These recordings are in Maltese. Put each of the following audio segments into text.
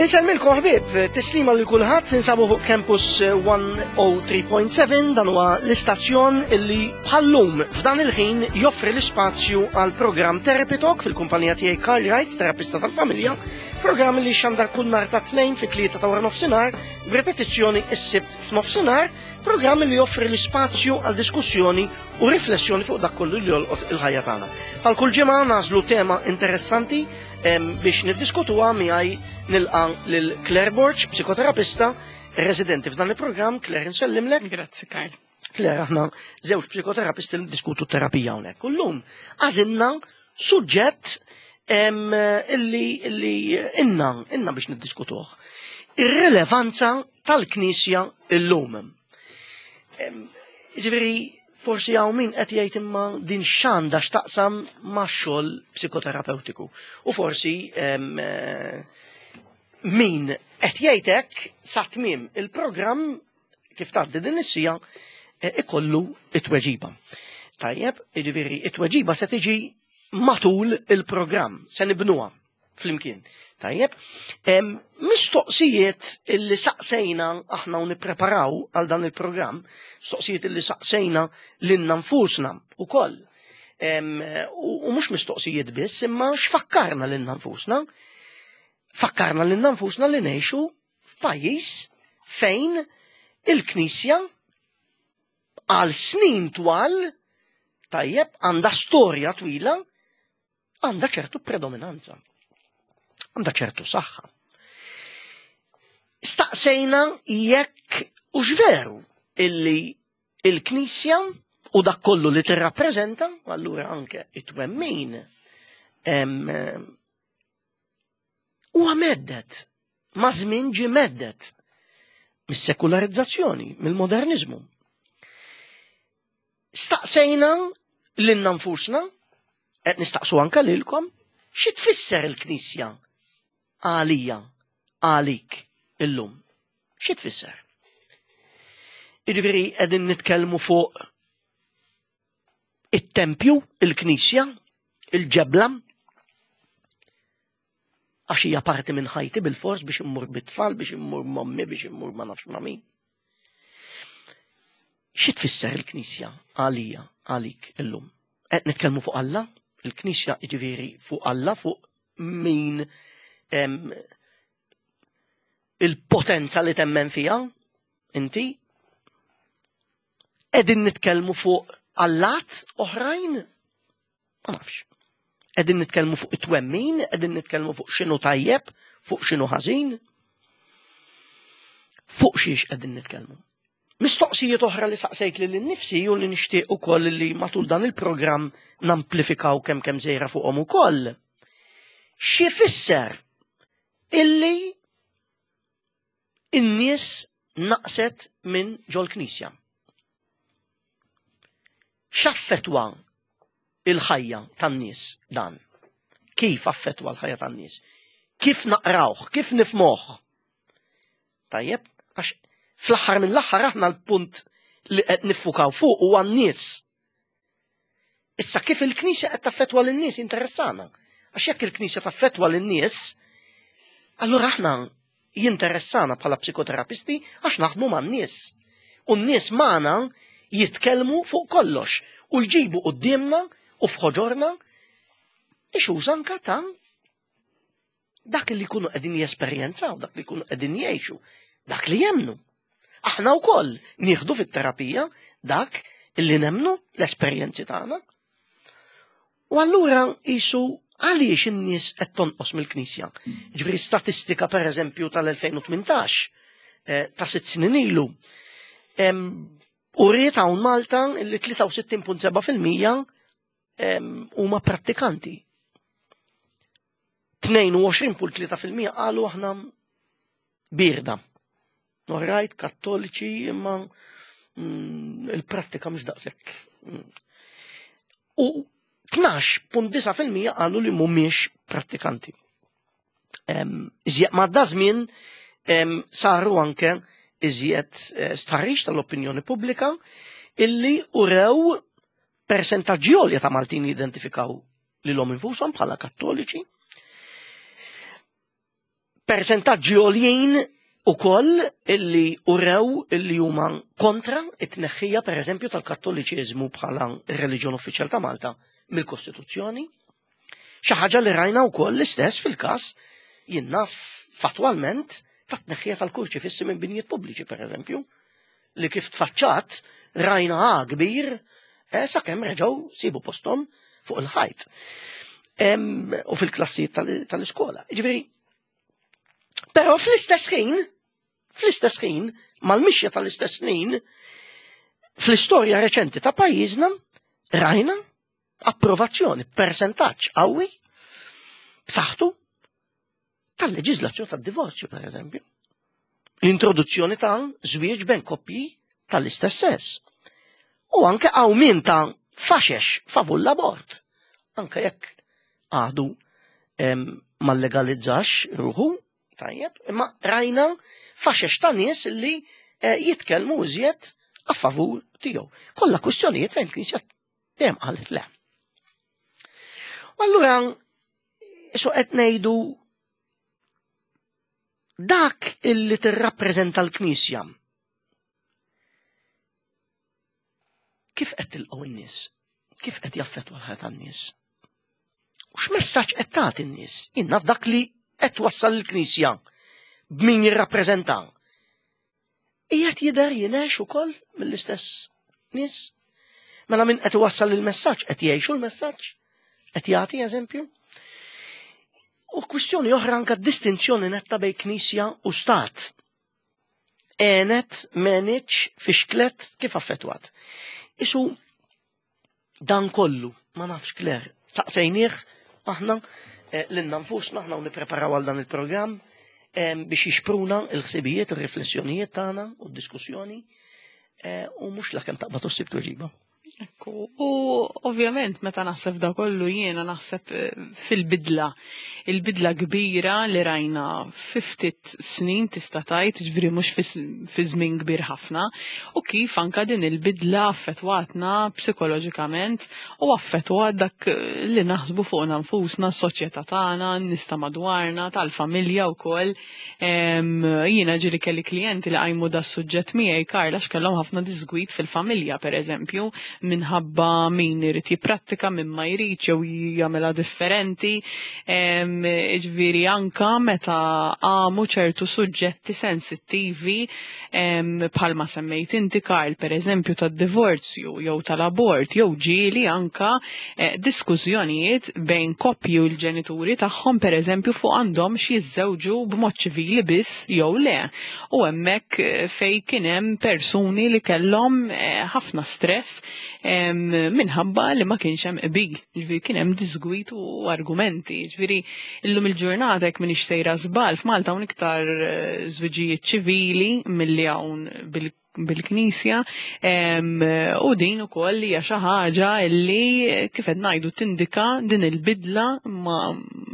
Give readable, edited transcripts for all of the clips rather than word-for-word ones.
Insellmilkom ħbieb, tislima lil kulħadd, ninsabu fuq Campus 103.7 dan huwa l-istazzjon illi bħallum f'dan il-ħin joffri l-ispazju għal programm Therapy Talk fil-kumpanija tiegħi Karl Wrights, terapista tal-familja, programm li xandar kull nhar ta' tnejn fit-tlieta ta' wara nofsinhar, b'repetizzjoni s-sibt f'nofsinhar, programm li joffri l-ispazju għal diskussjoni u riflessjoni fuq dak kollu li jolqot il-ħajja tagħna. Bħal kull ġimgħa nażlu tema interessanti biex niddiskutuha miegħi nilqa' lil Claire Borg, psikoterapista, residenti f'dan il-programm. Claire, nsellimlek. Grazzi, Karl. Claire, aħna żewġ psikoterapisti li diskutu terapija hawnhekk. U llum għażilna suġġett illi illi inna inna biex niddiskutuh. Ir-rilevanza tal-Knisja illum. Ġifieri forsi hawn min qed jgħid imma din x'għandha x'taqsam max-xogħol psikoterapeutiku. U forsi eh, min qed jgħid hekk sa tmiem il-programm kif tgħaddi din is-sija eh, ikollu it-tweġiba. Tajjeb, jiġifieri it-tweġiba se tiġi matul il-programm, se nibnuha flimkien. Tajjeb, mistoqsijiet illi saqsejna aħna u nippreparaw għal dan il-programm, mistoqsijiet illi saqsejna lilna nfusna ukoll. U mhux mistoqsijiet biss, imma x'fakkarna lilna nfusna? Fakkarna lilna nfusna li ngħixu f'pajjiż fejn il-Knisja għal snin twal tajjeb għandha storja twila għandha ċertu predominanza, għandha ċertu saħħa. Staqsejna jekk u veru illi il-Knisja u dak kollu li tirrappreżenta, allura anke it-twemmin huwa meddet, ma' żmien ġie meddet mis-sekularizzazzjoni, mill-modernizmu. Staqsejna lilna nfusna, qed nistaqsu anke lilkom, xi tfisser il-Knisja għalija, għalik illum? Xi tfisser? Jiġifieri qegħdin nitkellmu fuq it-tempju, il-knisja, il-ġebla, għax hija parti minn ħajti bil-fors biex immur bit-tfal, biex immur mommi, biex immur ma nafx ma' min. Xi tfisser il-Knisja għalija, għalik illum? Qed nitkellmu fuq Alla? Il-Knisja jiġifieri fuq Alla, fuq min il-potenza li temmen fiha inti? Qegħdin nitkellmu fuq allat oħrajn? Ma nafx. Qegħdin nitkellmu fuq it-twemmin, qegħdin nitkellmu fuq x'inhu tajjeb, fuq x'inhu ħażin. Fuq xiex qegħdin nitkellmu. Mistoqsijiet oħra li saqsejt lil innifsi u li nixtieq ukoll li matul dan il-programm namplifikaw kemm kemm żejra fuqhom ukoll. Xi fisser illi in-nies naqset minn ġol-knisja? X'affettwa il-ħajja tan-nies dan? Kif affettwa l-ħajja tan-nies? Kif naqrawh? Kif nifmoh? Tajjeb, għax fl-aħħar mill-aħħar aħna l-punt li qed niffukaw fuq huwa n-nies. Issa kif il-Knisja qed taffettwa lin-nies interessana. Għax jekk il-Knisja taffettwa lin-nies, allura aħna jinteressana bħala psikoterapisti għax naħdmu man-nies. U n-nies magħna jitkellmu fuq kollox u jġibu quddiemna u f'ħoġorna issues anka ta' dak li jkunu qegħdin jesperjenzaw, dak li jkunu qegħdin jgħixu, dak li jemnu. Aħna wkoll nieħdu fit-terapija dak li nemnu l-esperjenzi tagħna. U allura qisu għaliex in-nies qed tonqos mill-Knisja. Ġifieri statistika pereżempju tal-2018 eh, ta' sitt snin ilu. U riet hawn Malta li 63.7% huma prattikanti. 22.3% qalu aħna birda. Norajt, kattoliċi, imma mm, il-prattika mhux daqshekk. Mm. U 12.9% qalu li mhumiex prattikanti. Iżjed ma da żmien saru anke iżjed eh, stħarriġ tal-opinjoni pubblika illi urew persentaġġi għolja ta' Maltin jidentifikaw lilhom infushom bħala kattoliċi. Persentaġġi għoljin ukoll illi urew illi huma kontra it-tneħħija pereżempju tal-Kattoliċiżmu bħala r-reliġjon uffiċjal ta' Malta mill-Kostituzzjoni. Xi ħaġa li rajna wkoll l-istess fil-każ jien naf fattwalment ta' tneħħija tal-kurċifissi minn binjiet pubbliċi pereżempju, li kif tfaċċat rajna għa kbir eh, sakemm reġgħu sibu posthom fuq il-ħajt. U fil-klassijiet tal-iskola. Ġifieri, però fl-istess ħin, fl-istess ħin, mal-mixja tal-istess snin, fl-istorja reċenti ta' pajjiżna, rajna approvazzjoni persentaġġ qawwi b'saħħtu tal-leġiżlazzjoni tad-divorzju, per eżempju. L-introduzzjoni ta' żwieġ bejn koppji tal-istess sess. U anke qawmien ta' faxex favur l-abort. Anke jekk għadu ma legalizzax ruħu, tajjeb, imma rajna faxex ta' nies li eh, jitkellmu iżjed a favur tiegħu. Kollha kwistjonijiet fejn knisja dejjem qalet le. U allura so qed ngħidu dak illi tirrappreżenta l-Knisja. Kif qed tilqgħu n-nies? Kif qed jaffettwa l-ħajja tan-nies? U x'messaġġ qed tagħti n-nies? Jien naf dak li qed twassal il-Knisja b'min jirrappreżenta. Qiegħed jidher jingħex ukoll mill-istess nies? Mela min qed iwassal il-messaġġ qed jgħixu l-messaġġ? Qed jagħti eżempju? U kwistjoni oħra anka distinzjoni netta bejn knisja u stat. Għenet, meniċ, fixklet, kif affettwat. Isu Dan kollu, ma nafx Claire, saqsejnieh aħna eh, lilna nfusna aħna u nippreparaw għal dan il-programm eh, biex jixpruna il-ħsibijiet, il-riflessjonijiet tagħna u d-diskussjoni eh, u mhux la kemm taqbad u ssib tweġiba. Ekku, u ovvjament meta naħseb da kollu jiena naħseb fil-bidla. Il-bidla kbira li rajna fi ftit snin tista' tgħid, ġifieri mhux fi żmien kbir ħafna, u kif anka din il-bidla affettwatna psikoloġikament u affettwat dak li naħsbu fuqna nfusna, s-soċjetà tagħna, n-nies ta' madwarna, tal-familja wkoll. Jiena ġieli kelli klijenti li qajmu da suġġett miegħi Karl għax kellhom ħafna disgwid fil-familja pereżempju minħabba min irid jipprattika min ma jridx jew jagħmilha differenti. Ġifieri anka meta qamu ċertu suġġetti sensittivi bħalma semmejt inti Karl pereżempju tad-divorzju jew tal-abort jew ġieli anka eh, diskussjonijiet bejn koppji u l-ġenituri tagħhom pereżempju fuq għandhomx jiżżewġu b'mod ċivili biss jew le. U hemmhekk eh, fej kien hemm persuni li kellhom eh, ħafna stress minħabba li ma kienx hemm qbil. Ġifieri kien hemm disgwit u argumenti. Ġifieri illum il-ġurnata jekk m'iniex sejra żball f'Malta hawn iktar eh, żwiġijiet ċivili milli hawn bil-Knisja u din ukoll hija xi ħaġa li kif qed ngħidu tindika din il-bidla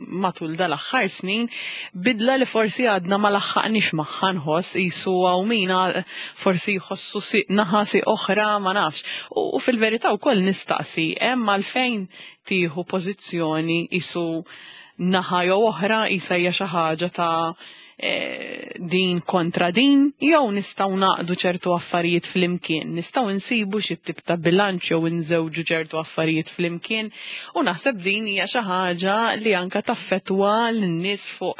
matul dal-aħħar snin, bidla li forsi għadna ma laħħaqniex magħha nħoss qisu hawn min forsi jħossu siq naħa siq oħra ma nafx. U fil-verità wkoll nistaqsi hemm għalfejn tieħu pożizzjoni qisu naħa jew oħra qisha hija xi ħaġa ta' eh, din kontra din jew nistgħu naqdu ċertu affarijiet flimkien, nistgħu nsibu xi tip ta' bilanċ jew inżewġu ċertu affarijiet flimkien u naħseb din hija xi ħaġa li anka taffettwa lin-nies fuq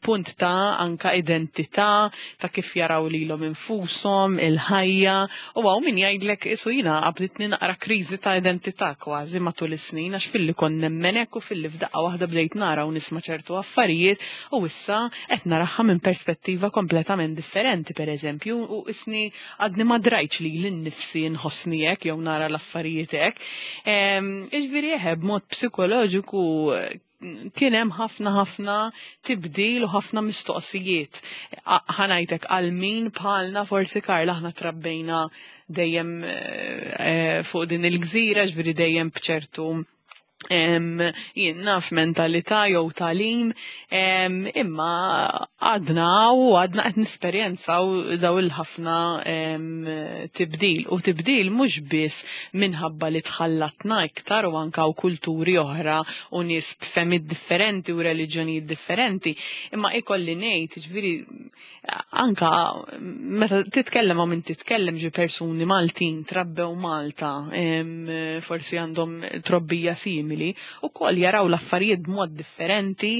punt ta' anka identità, ta' kif jaraw lilhom infushom, il-ħajja, u hawn min jgħidlek isu jiena qabditni naqra kriżi ta' identità kważi matul is-snin għax filli kont nemmen hekk u filli f'daqqa waħda bdejt nara u nisma' ċertu affarijiet u issa qed naraha minn perspettiva kompletament differenti pereżempju u isni għadni ma drajtx lili nnifsi nħossni hekk jew nara l-affarijiet hekk. Jiġifieri eħe b'mod psikoloġiku kien hemm ħafna ħafna tibdil u ħafna mistoqsijiet. Ħanajtek għal min bħalna forsi Karla aħna trabbejna dejjem eh, fuq din il-gżira, ġifieri dejjem b'ċertu Jien naf mentalità jew tagħlim, imma għadna u għadna qed nisperjenzaw daw il-ħafna tibdil. U tibdil mhux biss minħabba li tħallatna iktar u anka u kulturi oħra u nies b'fehmiet differenti u reliġjonijiet differenti, imma ikolli ngħid, ġifieri anka meta titkellem ma' min titkellem ġi persuni Maltin trabbew Malta, forsi għandhom trobbija simili, u koll jaraw l-affarijiet b'mod differenti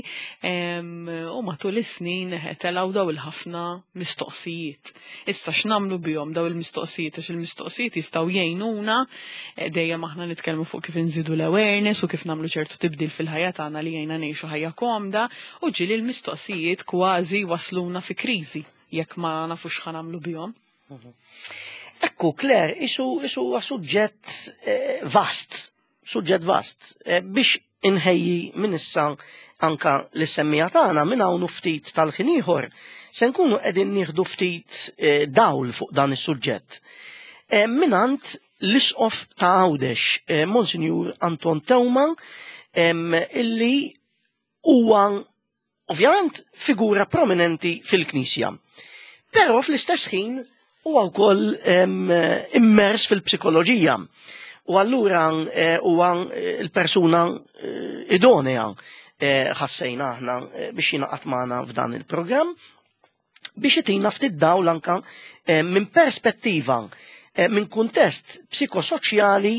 u matul is-snin telgħu daw il-ħafna mistoqsijiet. Issa x'nagħmlu bihom daw il-mistoqsijiet għax il-mistoqsijiet jistgħu jgħinuna eh, dejjem aħna nitkellmu fuq kif inżidu l-awareness u kif nagħmlu ċertu tibdil fil-ħajja tagħna li jgħinna ngħixu ħajja komda U ġieli l-mistoqsijiet kważi wasluna fi kriżi jekk ma nafux x'ħa nagħmlu bihom. Ekku, Claire, isu isu huwa suġġett eh, vast, suġġett vast, eh, biex inħejji minn issa anka l-semmija tagħna minn hawn ftit tal-ħin ieħor se nkunu qegħdin nieħdu ftit eh, dawl fuq dan is-suġġett. Minant l-isqof ta' Għawdex, Monsinjur Anton Teuma, illi Huwa ovvjament figura prominenti fil-Knisja. Però fl-istess ħin huwa wkoll immers fil-psikoloġija. U allura eh, huwa eh, l-persuna eh, idonea ħassejna aħna biex jingħaqad magħna f'dan il-programm biex itina ftit dawl anka minn perspettiva minn kuntest psikosoċjali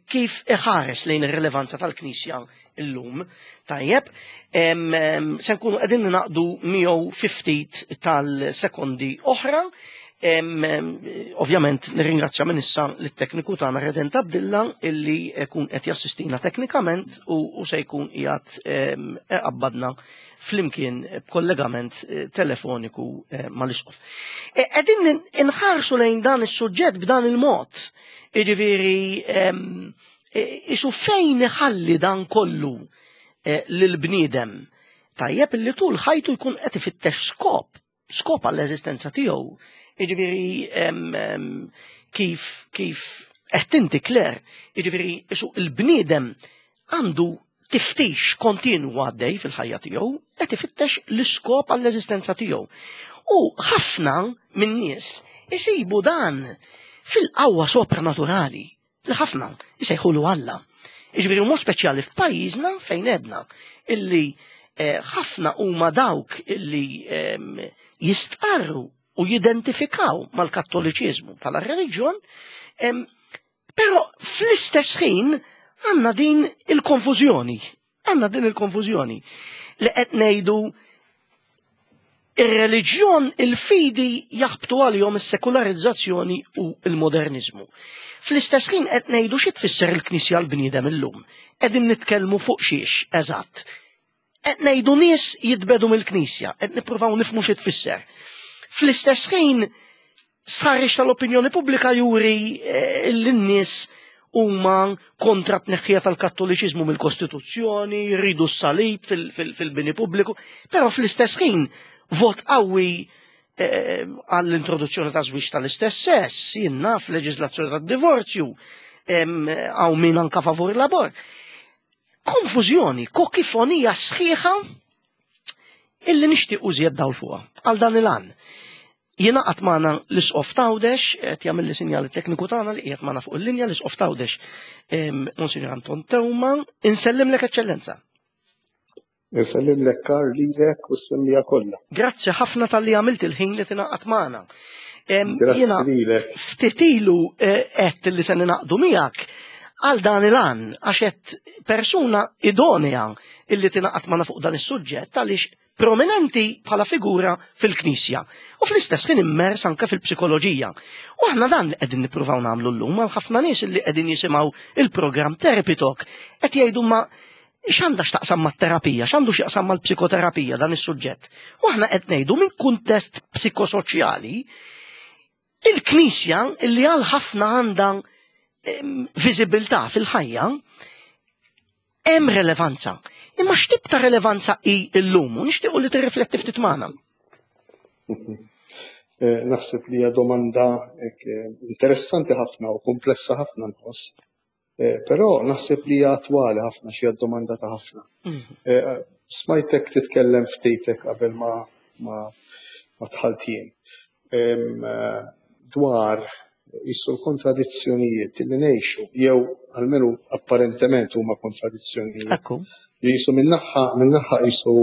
kif iħares lejn ir-rilevanza tal-Knisja illum. Tajjeb, se nkunu qegħdin naqdu miegħu fi ftit tal-sekondi oħra. Ovvjament nirringrazzja minn issa lit-tekniku tagħna Redent Abdilla illi jkun qed jassistina teknikament u se jkun qiegħed iqabbadna flimkien b'kollegament eh, telefoniku eh, mal-isqof. Eh, qegħdin inħarsu lejn dan is-suġġett b'dan il-mod, jiġifieri Isu fejn iħalli dan kollu eh, lill-bniedem? Tajjeb illi tul ħajtu jkun qed ifittex skop, skop għall-eżistenza tiegħu. Jiġifieri kif kif qed inti Claire, jiġifieri isu il-bniedem għandu tiftix kontinu għaddej fil-ħajja tiegħu, qed ifittex l-iskop għall-eżistenza tiegħu. U ħafna min-nies isibu dan fil-qawwa sopranaturali li ħafna jsejħulu Alla. Jiġifieri mod speċjali f'pajjiżna fejn edna illi eh, ħafna huma dawk illi ehm, jistqarru u jidentifikaw mal-Kattoliċiżmu bħala reliġjon, ehm, però fl-istess ħin għandna din il-konfużjoni Għandna din il-konfużjoni li qed ngħidu ir-reliġjon, il-fidi jaħbtu għalihom is-sekularizzazzjoni u l-moderniżmu. Fl-istess ħin qed ngħidu xi tfisser il-Knisja l-bniedem illum. Qegħdin nitkellmu fuq xiex, eżatt. Qed ngħidu nies jitbedu mill-Knisja, qed nippruvaw nifhmu xi tfisser. Fl-istess ħin Stħarriġ tal-opinjoni pubblika juri eh, li n-nies huma kontra t-tneħħija tal-Kattoliċiżmu mill-Kostituzzjoni, jridu s-salib fil-bini pubbliku, però fl-istess ħin vot qawwi eh, għall-introduzzjoni ta' żwieġ tal-istess sess, jien naf leġiżlazzjoni tad-divorzju, hawn min anka favur l-abort. Konfużjoni, kokifonija sħiħa illi nixtieq użjed dawl fuqha għal dan il-għan. Jingħaqad magħna l-Isqof t'Għawdex, qed jagħmilli sinjal it-tekniku tagħna li qiegħed magħna fuq il-linja l-Isqof t'Għawdex Monsinjur Anton Teuma. Insellimlek Eċċellenza. Insellimlek Karl lilek u s-semmija kollha. Grazzi ħafna talli għamilt il-ħin li tingħaqad magħna. Grazzi lilek. Ftit ilu eh, qed li se ninaqdu miegħek għal dan il-għan għax qed persuna idonea illi tingħaqad magħna fuq dan is-suġġett għaliex prominenti bħala figura fil-Knisja u fl-istess ħin immers anke fil-psikoloġija. U aħna dan li qegħdin nippruvaw nagħmlu llum għal ħafna nies li qegħdin jisimgħu il-programm Therapy Talk qed jgħidu ma x'għandha x'taqsam mat-terapija, x'għandu x'jaqsam mal-psikoterapija dan is-suġġett. U aħna qed ngħidu minn kuntest psikosoċjali Il-Knisja li għal ħafna għandha viżibilità fil-ħajja hemm relevanza. Imma x'tip ta' relevanza hi llum u nixtiequ li tirrifletti ftit magħna. Eh, naħseb li hija domanda eh, interessanti ħafna u komplessa ħafna nħoss. Però naħseb li hija attwali ħafna xi domanda ta' ħafna. Smajtek titkellem ftitek qabel ma ma ma dħalt jien dwar jisu l-kontradizzjonijiet li ngħixu jew almenu apparentement huma kontradizzjonijiet. Ekku. Li jisu minnaħħa minnaħħa jisu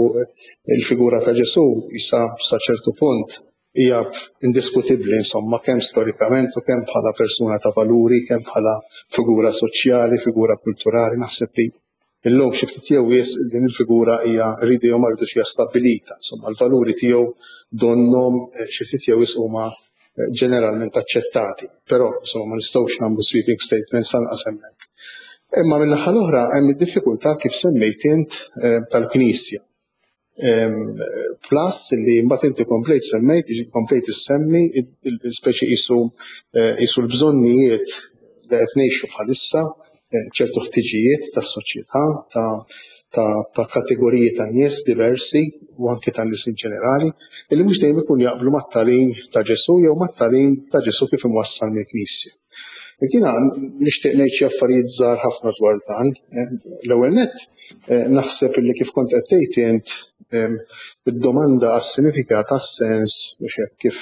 il-figura ta' Ġesu jisa sa ċertu punt hija indiskutibbli insomma kemm storikament u kemm bħala persuna ta' valuri, kemm bħala figura soċjali, figura kulturali, naħseb li illum xi ftit jew wisq din il-figura hija rridu jew ma rridux hija stabbilita. Insomma, l-valuri tiegħu donnhom xi ftit jew wisq huma ġeneralment aċċettati, però insomma ma nistgħux nagħmlu sweeping statements anqas hemmhekk. Imma min-naħa l-oħra hemm id-diffikultà kif semmejt int tal-Knisja. Plus li mbagħad inti komplejt semmejt, komplejt issemmi speċi qisu qisu l-bżonnijiet li qed ngħixu bħalissa, ċertu ħtiġijiet tas-soċjetà, ta' kategoriji ta' nies diversi u anke ta' nies in ġenerali, illi mhux dejjem ikun jaqblu mat-tagħlim ta' Ġesù jew mat-tagħlim ta' Ġesù kif imwassal mill-Knisja. Jiena nixtieq ngħid xi affarijiet żgħar ħafna dwar dan. L-ewwel nett naħseb illi kif kont qed tgħid int id-domanda għas-sinifikat għas-sens biex hekk kif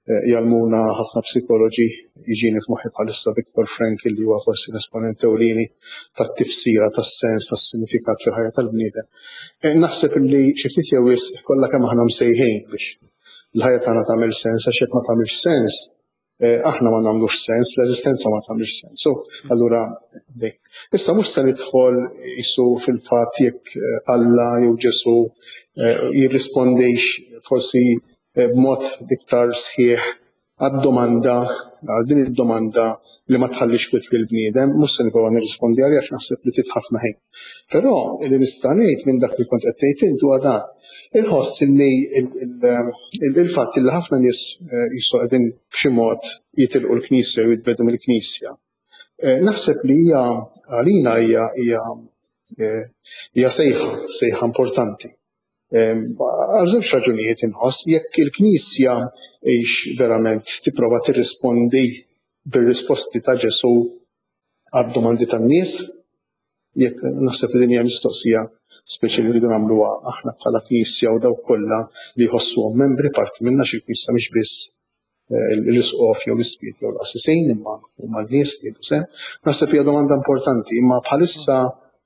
jgħallmuna ħafna psikoloġi jiġini f'moħħi bħalissa Viktor Frankl li huwa forsi l-esponent ewlieni tat-tifsira tas-sens tas-sinifikat fil-ħajja tal-bniedem. Naħseb illi xi ftit jew wisq kollha kemm aħna msejħin biex l-ħajja tagħna tagħmel sens għax jekk ma tagħmilx sens aħna ma nagħmlux sens, l-eżistenza ma tagħmilx sens. So, allura dejn. Issa mhux se nidħol isu fil-fatt jekk Alla jew Ġesu jirrispondix forsi b'mod iktar sħiħ għad-domanda, għal din id-domanda li ma tħallix kwiet lill-bniedem, mhux se nipprova nirrispondi għaliha għax naħseb li trid ħafna ħin. Però li nista' ngħid minn dak li kont qed tgħid int huwa dan. Inħoss li il-fatt li ħafna nies jisu qegħdin b'xi mod jitilqu l-Knisja jew jitbedu mill-Knisja. Naħseb li hija għalina hija hija hija sejħa, sejħa importanti. Għal żewġ raġunijiet inħoss jekk il-Knisja hix verament tipprova tirrispondi bir-risposti ta' Ġesù għad-domandi tan-nies, jekk naħseb li din hija mistoqsija speċi li rridu nagħmluha aħna bħala Knisja u dawk kollha li jħossuhom membri parti minna xi l-Knisja mhix biss l-isqof jew l-ispirtu jew l-qassisin imma huma l-nies li jieħdu sehem. Naħseb hija domanda importanti, imma bħalissa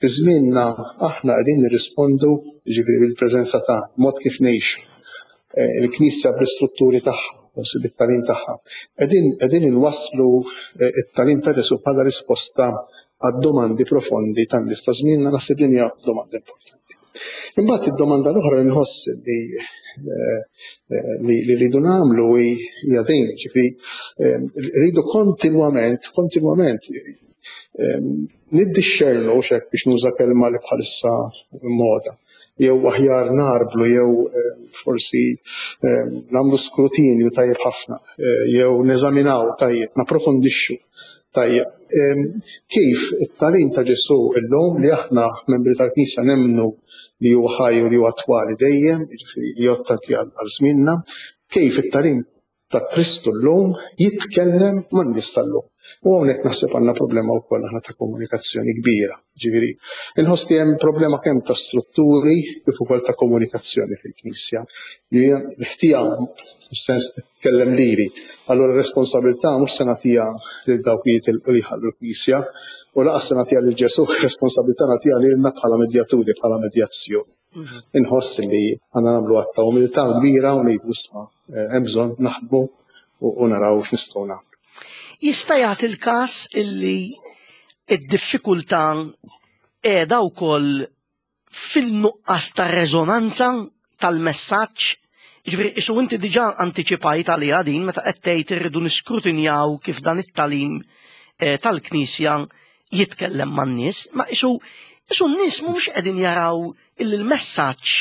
fi żmienna aħna qegħdin nirrispondu jiġifieri bil-preżenza ta' mod kif ngħixu. Il-Knisja bl-istrutturi tagħha, forsi bit-tagħlim tagħha. Qegħdin qegħdin inwasslu t-tagħlim ta' Ġesù bħala risposta għad-domandi profondi tan-nies ta' żmienna naħseb din hija domanda importanti. Imbagħad id-domanda l-oħra li nħoss li li rridu nagħmlu hija din, ġifieri rridu kontinwament, kontinwament niddixxernu x'hekk biex nuża kelma li bħalissa moda, jew aħjar narblu jew forsi nagħmlu skrutinju tajjeb ħafna, jew neżaminaw tajjeb, napprofondixxu tajjeb. Kif it-tagħlim ta' Ġesù illum li aħna membri tal-Knisja nemmnu li huwa ħaj u li huwa attwali dejjem, jiġifieri jgħodd anki għal żmienna, kif it-tagħlim ta' Kristu llum jitkellem man-nies tal-lum. U hawnhekk naħseb għandna problema wkoll aħna ta' komunikazzjoni kbira. Ġifieri, inħoss li hemm problema kemm ta' strutturi kif ukoll ta' komunikazzjoni fil-Knisja. Li l-ħtija fis-sens tkellem lili. Allura r-responsabilità mhux se nagħtiha lil dawk li jitilqu li jħallu l-Knisja, u lanqas se nagħtiha lil Ġesù, responsabilità nagħtiha lilna bħala medjaturi, bħala medjazzjoni. Inħoss li għandna nagħmlu att ta' umiltà kbira u ngħidu isma' hemm bżonn naħdmu u naraw x'nistgħu nagħmlu. Jista' jagħti l-każ illi d-diffikultà qiegħda wkoll fil-nuqqas ta' reżonanza tal-messaġġ? Jiġifieri isu inti diġà antiċipajt għaliha din meta qed tgħid irridu niskrutinjaw kif dan it-tagħlim tal-Knisja jitkellem man-nies, ma isu isu n-nies mhumiex qegħdin jaraw illi l-messaġġ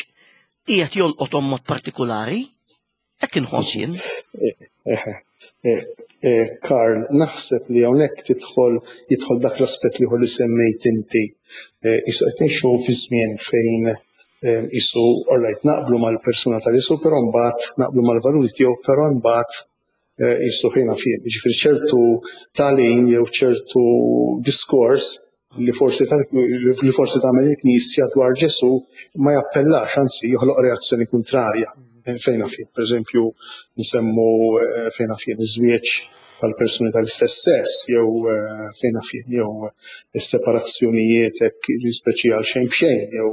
qiegħed jolqothom mod partikulari. Hekk inħoss jien. Karl, naħseb li hawnhekk tidħol jidħol dak l-aspett li li semmejt inti. Isu qed ngħixu fi żmien fejn isu all right naqblu mal-persuna ta' Ġesù, però mbagħad naqblu mal-valuri tiegħu, però mbagħad Qisu fejn naf jien, jiġifieri ċertu tagħlim jew ċertu diskors li forsi li forsi tagħmel il-Knisja dwar Ġesù ma jappellax, anzi joħloq reazzjoni kuntrarja. Fejn naf jien, pereżempju, nsemmu fejn naf jien iż-żwieġ tal-persuni tal-istess sess jew fejn naf jien jew is-separazzjonijiet hekk speċi għal xejn b'xejn jew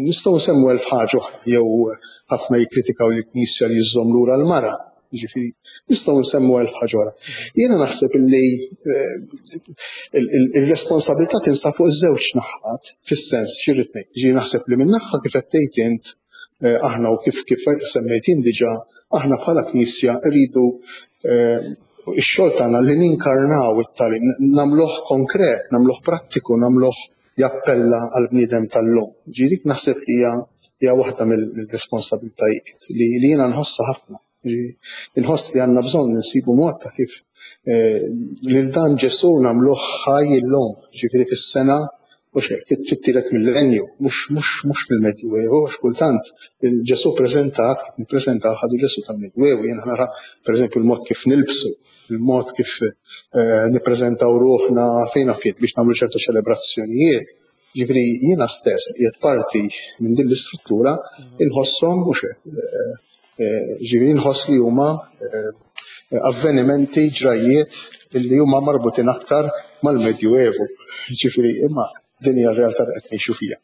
nistgħu nsemmu elf ħaġa oħra jew ħafna jikkritikaw lill-Knisja li żżomm lura l-mara. Jiġifieri nistgħu nsemmu elf ħaġa oħra. Jiena naħseb illi il-responsabilità tinsab fuq iż-żewġ naħat fis-sens xi rrid ngħid. Ġifieri naħseb li minn naħa kif qed tgħid int aħna u kif kif semmejt jien diġà aħna bħala Knisja rridu ix-xogħol tagħna li ninkarnaw it-tagħlim, nagħmluh konkret, nagħmluh prattiku, nagħmluh jappella għall-bniedem tal-lum. Ġifieri dik naħseb li hija hija waħda mill-responsabilitajiet li li jiena nħossha ħafna. Inħoss li għandna bżonn insibu mod ta' kif lil dan Ġesù nagħmluh ħaj illum, ġifieri fis-sena u xek, fit-tielet millenju, mhux mhux mhux fil-Medjuevu, għax kultant il-Ġesù preżentat, kif nippreżentaw ħadu Ġesù tal-Medjuevu, jiena nara pereżempju l-mod kif nilbsu, il-mod kif nippreżentaw ruħna fejn naf jien biex nagħmlu ċertu ċelebrazzjonijiet. Ġifieri jiena stess li qiegħed parti minn din l-istruttura inħosshom mhux hekk. Ġifieri nħoss li huma avvenimenti, ġrajjiet li huma marbutin aktar mal-Medjuevu. Ġifieri imma din hija r-realtà li qed ngħixu fiha.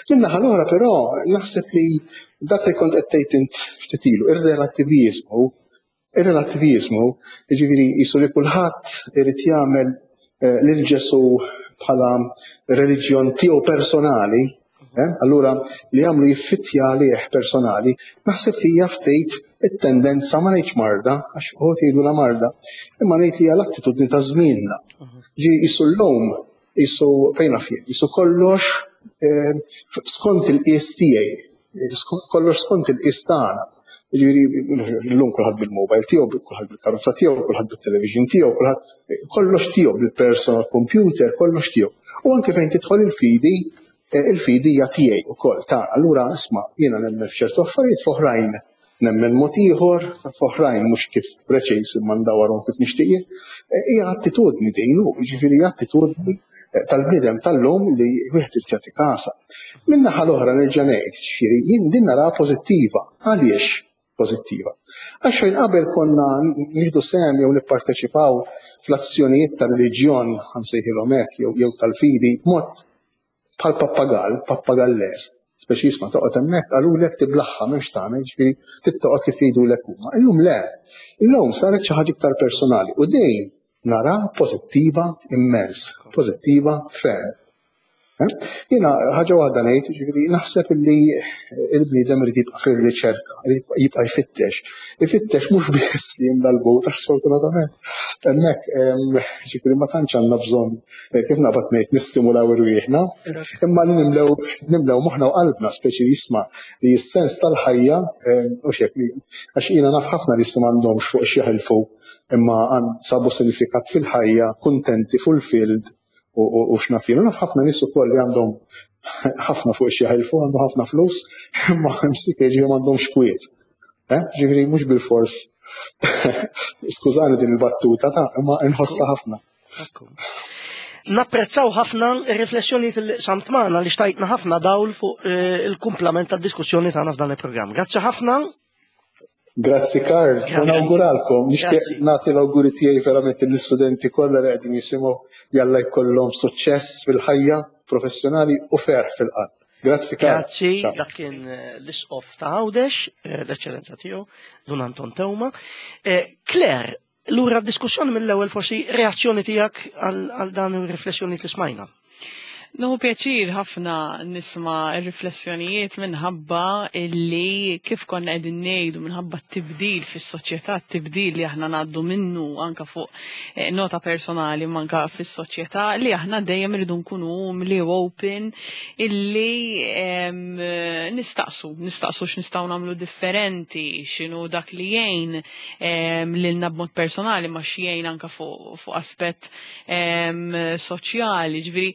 Min-naħa l-oħra però naħseb li dak li kont qed tgħid int ftit ilu, ir-relattiviżmu, ir-relattiviżmu, jiġifieri qisu li kulħadd irid jagħmel lil Ġesù bħala reliġjon tiegħu personali, allura li jagħmlu jiffittja għalih personali, naħseb li hija ftit it-tendenza ma ngħidx marda, għax uħud jgħidulha marda, imma ngħid li hija l-attitudni ta' żmienna. Ġi qisu llum, qisu fejn naf jien, qisu kollox skont il-qies tiegħi, kollox skont il-qies tagħna. Jiġifieri llum kulħadd bil-mobile tiegħu, kulħadd bil-karozza tiegħu, kulħadd bit-television tiegħu, kulħadd kollox tiegħu bil-personal computer, kollox tiegħu. U anke fejn tidħol il-fidi, il-fidi hija tiegħi wkoll ta' allura isma' jiena nemmen f'ċertu affarijiet f'oħrajn nemmen mod ieħor, f'oħrajn mhux kif preċiż imma ndawwarhom kif nixtieq jien. Hija attitudni din, jiġifieri hija attitudni tal-bniedem tal-lum li wieħed irid jagħti kasha. Min-naħa l-oħra nerġa' ngħid, ġifieri jien din naraha pożittiva. Għaliex pożittiva? Għax fejn qabel konna nieħdu sehem jew nipparteċipaw fl-azzjonijiet tar-reliġjon, ħa nsejħilhom hekk, jew tal-fidi b'mod bħal pappagall, pappagalles, speċi jisma' toqgħod hemmhekk qalulek tiblaħħa m'hemmx tagħmel, ġifieri trid toqgħod kif jgħidulek huma. Illum le. Illum saret xi ħaġa iktar personali u din nara pożittiva immens, pożittiva ferm. Jiena ħaġa waħda ngħid, ġifieri naħseb li il-bniedem irid jibqa' fir-riċerka, irid jibqa' jfittex. Ifittex mhux biss li jimla l-but għax sfortunatament hemmhekk ġifieri ma tantx għandna bżonn kif naqbad ngħid nistimulaw irwieħna, imma li nimlew nimlew moħħna u qalbna speċi jisma' li s-sens tal-ħajja u xek li għax jiena naf ħafna nies li m'għandhomx fuq x'jaħilfu imma sabu sinifikat fil-ħajja, kuntenti, fulfilled u x'naf jien. Naf ħafna nies ukoll li għandhom ħafna fuq x'jaħilfu, għandhom ħafna flus, imma msik ġifieri m'għandhomx kwiet. Ġifieri mhux bilfors. Skużani din il-battuta ta' imma nħossha ħafna. Napprezzaw ħafna ir-riflessjonijiet li qsamt magħna li xtajtna ħafna dawl fuq il-kumplament tad-diskussjoni tagħna f'dan il-programm. Grazzi ħafna. Grazzi Karl, u nawguralkom, nixtieq nagħti l-awguri tiegħi verament lill-istudenti kollha li qegħdin jisimgħu jalla jkollhom suċċess fil-ħajja professjonali u ferħ fil-qalb. Grazzi Karl. Grazzi, dak kien l-Isqof ta' Għawdex, l-Eċċellenza tiegħu, Dun Anton Teuma. Claire, lura d-diskussjoni mill-ewwel forsi reazzjoni tiegħek għal dan ir-riflessjoni li smajna. Nieħu pjaċir ħafna nisma' r-riflessjonijiet minħabba illi kif konna qegħdin ngħidu minħabba t-tibdil fis-soċjetà, t-tibdil li aħna ngħaddu minnu anka fuq nota personali imma anka fis-soċjetà li aħna dejjem irridu nkunu umli u open illi nistaqsu, nistaqsu x'nistgħu nagħmlu differenti, x'inhu dak li jgħin lilna b'mod personali ma x'jgħin anka fuq aspett soċjali, ġifieri.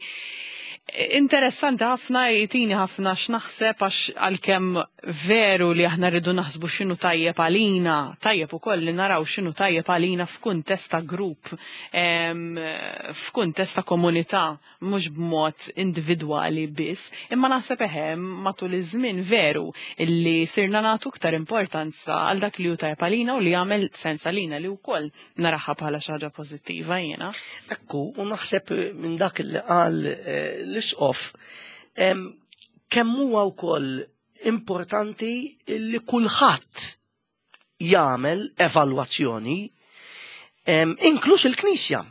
Interessanti ħafna jtini ħafna x'naħseb għax għalkemm veru li aħna rridu naħsbu x'inhu tajjeb għalina, tajjeb ukoll li naraw x'inhu tajjeb għalina f'kuntest ta' grupp, f'kuntest ta' komunità, mhux b'mod individwali biss, imma naħseb eħe matul iż-żmien veru illi sirna nagħtu iktar importanza għal dak li hu tajjeb għalina u li jagħmel sens għalina li wkoll naraha bħala xi ħaġa pożittiva jiena. Ekku, u naħseb minn dak li qal eh, l-isqof, kemm huwa wkoll importanti li kulħadd jagħmel evalwazzjoni, inkluż il-Knisja.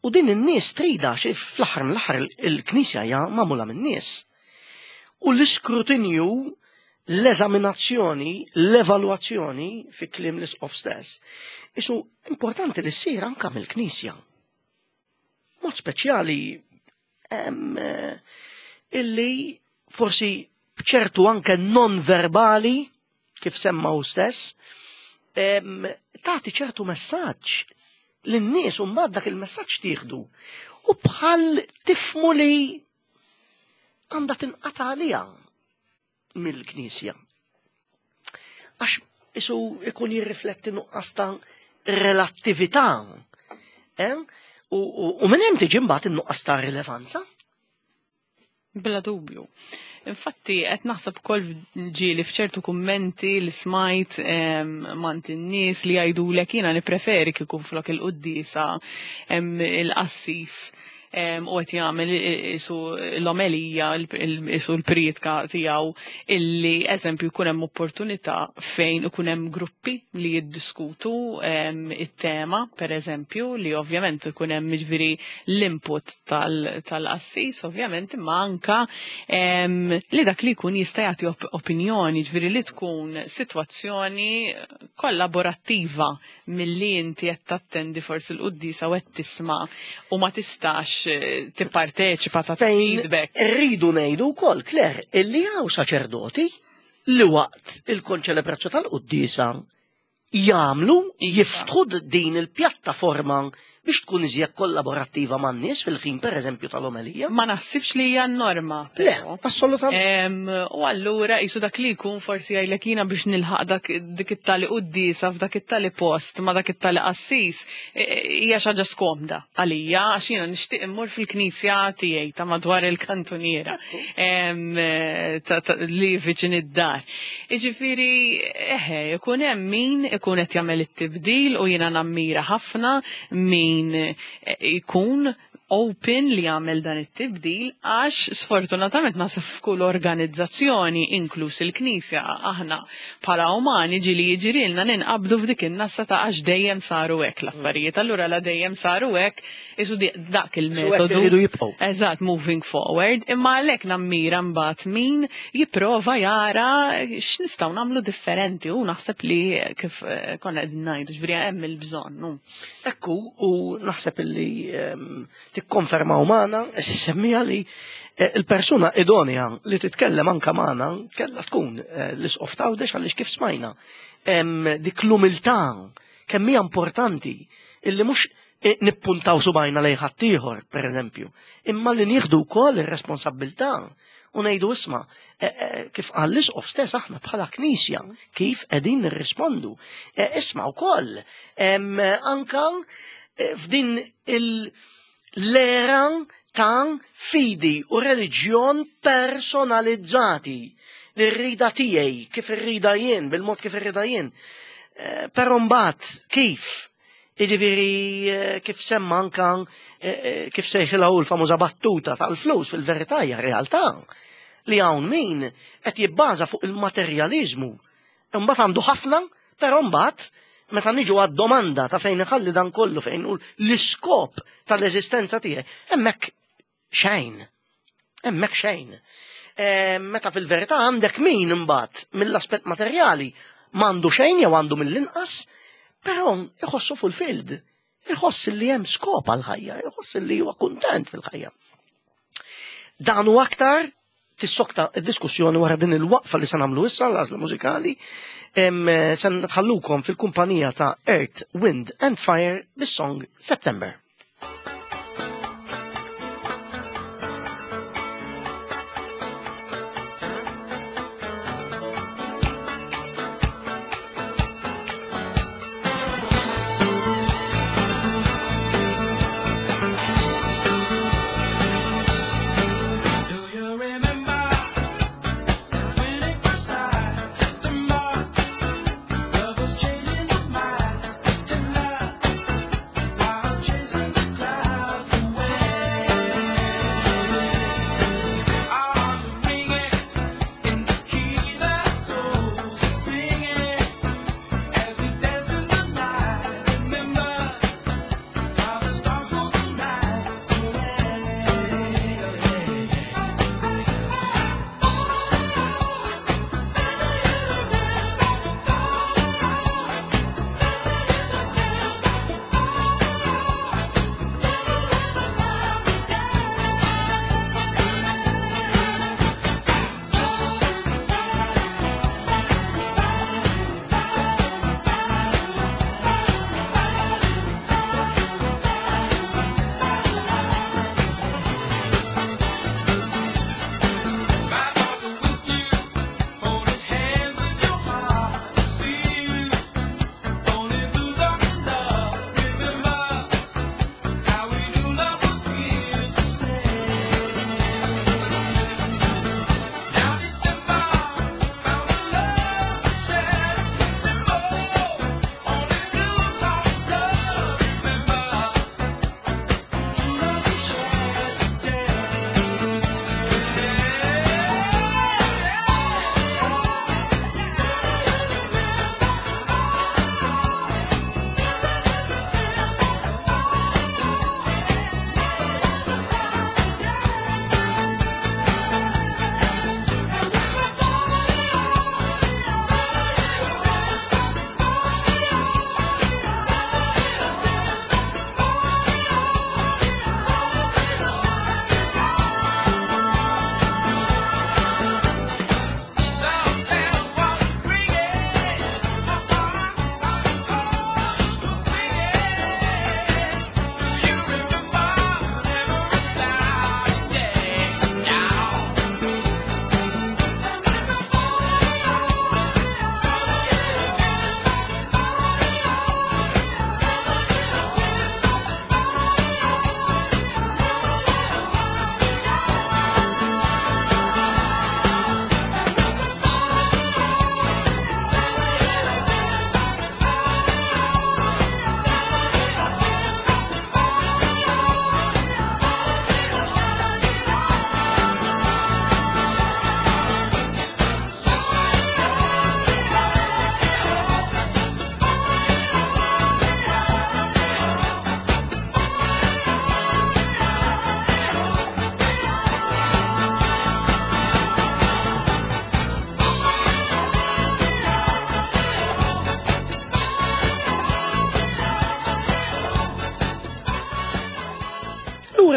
U din in-nies trida xi fl-aħħar mill-aħħar il-Knisja hija magħmula min-nies. U l-iskrutinju, l-eżaminazzjoni, l-evalwazzjoni fi kliem l-isqof stess, isu importanti li ssir anka mill-Knisja. Mod speċjali eh, illi forsi b'ċertu anke non verbali, kif semma hu stess, tagħti ċertu messaġġ lin-nies u mbagħad dak il-messaġġ tieħdu. U bħal tifmu li għandha tinqata' għaliha mill-Knisja. Għax isu ikun jirrifletti nuqqas ta' relattività. Eh? U, u, u minn hemm tiġi mbagħad in-nuqqas ta' rilevanza. Bla dubju. Infatti, qed naħseb ukoll ġieli f'ċertu kummenti li smajt mant in-nies li jgħidulek jiena nippreferi kieku flok il-quddiesa il-qassis u qed jagħmel isu l-omelija, isu l-prietka tiegħu illi eżempju jkun hemm opportunità fejn ikun hemm gruppi li jiddiskutu it-tema, per eżempju, li ovvjament ikun hemm jiġifieri l-input tal-qassis ovvjament imma anka li dak li jkun jista' jagħti opinjoni, ġifieri li tkun sitwazzjoni kollaborattiva milli inti qed tattendi forsi l-quddiesa u qed tisma' u ma tistax eh, tipparteċipa ta' feedback. Rridu ngħidu wkoll, Claire, illi hawn saċerdoti li waqt il-konċelebrazzjoni tal-quddiesa jagħmlu, iva. jiftħu din il-pjattaforma biex tkun iżjed kollaborattiva man-nies fil-ħin pereżempju tal-omelija. Ma naħsibx li hija norma. Le, assolutament. U allura jisu dak li jkun forsi jgħidlek jiena biex nilħaq dak dik it-tali quddiesa f'dak it-tali post ma dak it-tali qassis e, e, hija xi ħaġa skomda għalija għax jiena nixtieq immur fil-knisja tiegħi ta' madwar il-kantuniera li viċin id-dar. Jiġifieri eħe, ikun hemm min ikun qed jagħmel it-tibdil u jiena nammira ħafna min ikun open li jagħmel dan it-tibdil għax sfortunatament naħseb f'kull organizzazzjoni inkluż il-Knisja aħna bħala umani ġieli jiġrilna ninqabdu f'dik in-nassa ta' għax dejjem saru hekk l-affarijiet. Allura la dejjem saru hekk Isu dak il-metodu. Iridu jibqgħu. Eżatt, moving forward, imma għalhekk nammira mbagħad min jipprova jara x'nistgħu nagħmlu differenti u naħseb li kif eh, konna qegħdin ngħidu ġifieri hemm il-bżonn. Ekku, u naħseb illi ehm, tikkonfermaw magħna, semmija li eh, il-persuna idonea li titkellem anka magħna kellha tkun eh, l-isqof tawdex għaliex kif smajna. Ehm, dik l-umiltà kemm hija importanti illi mhux nippuntaw subajna lejn ħaddieħor, pereżempju, imma li nieħdu wkoll ir-responsabbiltà u ngħidu isma' e, e, kif qal l-isqof stess aħna bħala knisja kif qegħdin nirrispondu. E, isma' wkoll anka f'din l-era ta' fidi u reliġjon personalizzati li rrida tiegħi kif irrida jien, bil-mod kif irrida jien. Però mbagħad kif Jiġifieri eh, kif semma anka eh, eh, kif sejħilha hu l-famuża battuta tal-flus fil-verità hija realtà li hawn min qed jibbaża fuq il-materjaliżmu. Imbagħad għandu ħafna, però mbagħad meta niġu għad-domanda ta' fejn iħalli dan kollu fejn hu l-iskop tal-eżistenza tiegħi, hemmhekk Xejn. Hemmhekk xejn. E, meta fil-verità għandek min imbagħad mill-aspett materjali m'għandu xejn jew għandu mill-inqas, però iħossu fulfilled. Iħoss li hemm skop għal-ħajja, iħoss li huwa kuntent fil-ħajja. Dan u aktar tissokta d-diskussjoni wara din il-waqfa li se nagħmlu issa l-għażla mużikali se nħallukom fil-kumpanija ta' Earth, Wind and Fire bis-song September.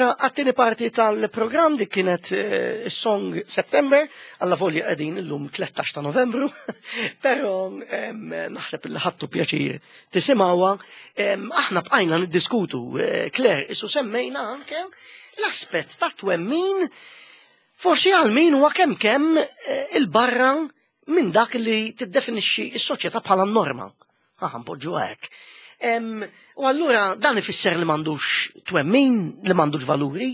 lura għat-tieni parti tal-programm dik kienet eh, is-song September, alla volja qegħdin illum 13 ta' Novembru, però naħseb li ħadtu pjaċir tisimgħuha. Aħna bqajna niddiskutu, eh, Claire, isu semmejna anke l-aspett ta' twemmin forsi għal min huwa kemm kemm eh, il-barra minn dak li tiddefinixxi s-soċjetà bħala norma. Aħna npoġġu hekk. U allura dan ifisser li m'għandux twemmin, li m'għandux valuri,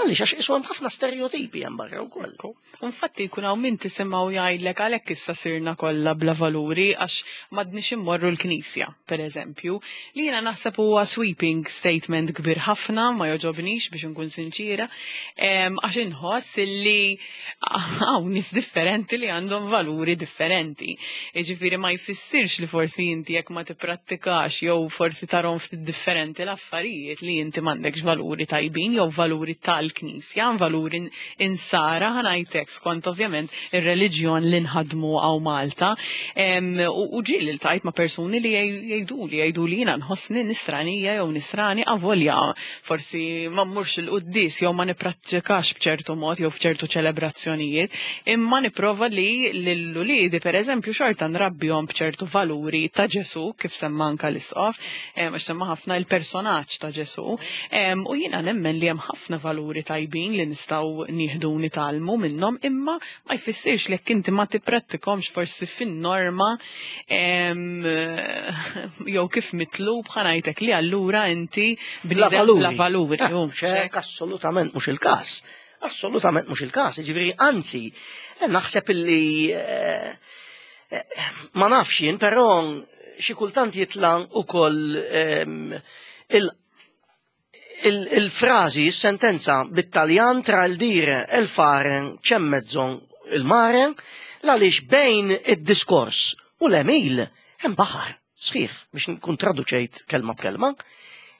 għaliex għax isu hemm ħafna stereotipi hemm barra wkoll. Infatti jkun hawn min tisimgħu jgħidlek għalhekk issa sirna kollha bla valuri għax m'għadniex immorru l-knisja, pereżempju. Li jiena naħseb huwa sweeping statement kbir ħafna, ma jogħġobnix biex inkun sinċiera, għax inħoss illi hawn nies differenti li għandhom valuri differenti. Jiġifieri ma jfissirx li forsi inti jekk ma tipprattikax jew forsi tarhom ftit differenti l-affarijiet li inti m'għandekx valuri tajbin jew valuri tal-Knisja, valuri insara ħa ngħidlek skont ovvjament ir-reliġjon li nħaddmu hawn Malta. U ġieli ltqajt ma' persuni li jgħiduli jgħiduli jiena nħossni nisranija jew nisrani avolja forsi ma mmurx il-quddies jew ma nipprattikax b'ċertu mod jew f'ċertu ċelebrazzjonijiet, imma nipprova li lil uliedi pereżempju xorta nrabbihom b'ċertu valuri ta' Ġesù kif semma anka l-Isqof, għax semma ħafna il-personaġġ ta' Ġesù. U jiena nemmen li hemm ħafna valuri tajbin li nistgħu nieħdu u nitgħallmu minnhom, imma ma jfissirx li jekk inti ma tipprattikhomx forsi fin-norma jew kif mitlub ħa ngħidlek li allura inti bniedem bla valuri. Eh, hekk assolutament mhux il-każ. Assolutament mhux il-każ, jiġifieri anzi, eh, naħseb illi eh, ma nafx jien, però xi kultant jitla' ukoll il Il-frażi, is-sentenza bit-Taljan tra il dire e il fare c'è mezzo il mare, l-għaliex bejn id-diskors u l-għemil hemm baħar sħiħ biex nkun traduċejt kelma b'kelma.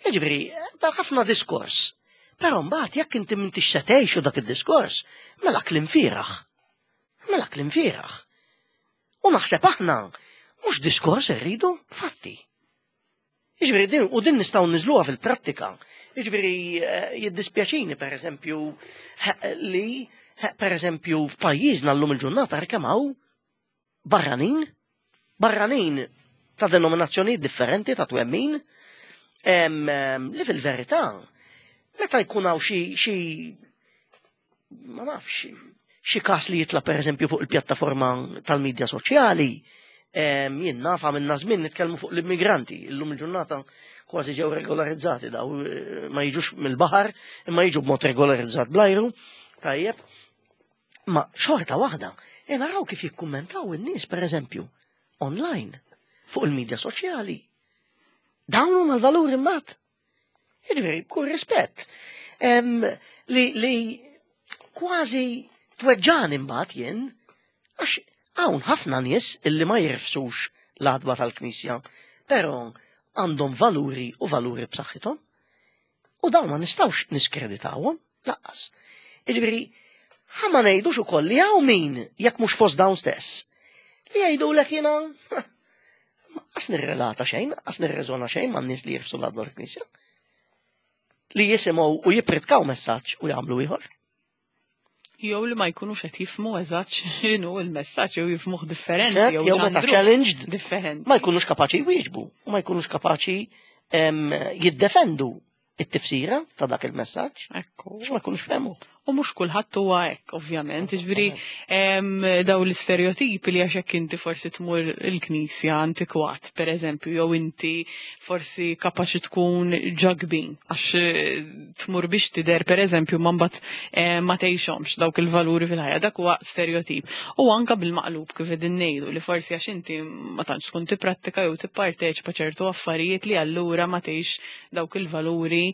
Jiġifieri, ħafna diskors. Però mbagħad jekk inti m'intix se tgħixu dak id-diskors, mela kliem fieragħ. Mela kliem fieragħ. U naħseb aħna mhux diskors irridu, fatti. Jiġifieri din u din nistgħu niżluha fil-prattika. Jiġifieri eh, jiddispjaċini pereżempju li pereżempju f'pajjiżna llum il-ġurnata kemm hawn barranin, barranin ta' denominazzjonijiet differenti ta' twemmin, li fil-verità meta jkun hawn xi ma nafx, xi każ li jitla' pereżempju fuq il-pjattaforma tal-midja soċjali, jien naf għamilna żmien nitkellmu fuq l-immigranti, illum il-ġurnata kważi ġew regolarizzati daw eh, ma jiġux mill-baħar imma jiġu b'mod regolarizzat bl-ajru, tajjeb. Ma xorta waħda, e naraw kif jikkummentaw in-nies pereżempju online fuq il-midja soċjali. Dawn huma l-valuri mbagħad. Jiġifieri, b'kull rispett, li, li kważi tweġġani mbagħad jien, għax hawn ħafna nies illi ma jirfsux l-għadba tal-Knisja, però għandhom valuri u valuri b'saħħithom. U dawn ma nistgħux niskreditawhom laqqas. Jiġifieri, ħa ma ngħidux ukoll li hawn min jekk mhux fost dawn stess li jgħidulek jiena Qas nirrelata xejn, qas nirreżona xejn man nies li jirfsu l-għadba tal-Knisja. Li jisimgħu u jippritkaw messaġġ u jagħmlu ieħor. Jew li ma jkunux qed jifhmu eżatt x'inhu l-messaġġ jew jifhmuh differenti jew jew meta challenged differenti. Ma jkunux kapaċi jwieġbu u ma jkunux kapaċi jiddefendu it-tifsira ta' dak il-messaġġ. Ekku. Għax ma jkunux fehmu. U mhux kulħadd huwa hekk, ovvjament. Jiġifieri daw l-istereotipi li għax hekk inti forsi tmur il-knisja antikwat, pereżempju, jew inti forsi kapaċi tkun ġagbin għax eh, tmur biex tidher pereżempju ma mbagħad eh, ma tgħixhomx dawk il-valuri fil-ħajja, dak huwa stereotip. U anka bil-maqlub kif qegħdin ngħidu li forsi għax inti ma tantx tkun tipprattika jew tipparteċipa ċertu affarijiet li allura ma tgħix dawk il-valuri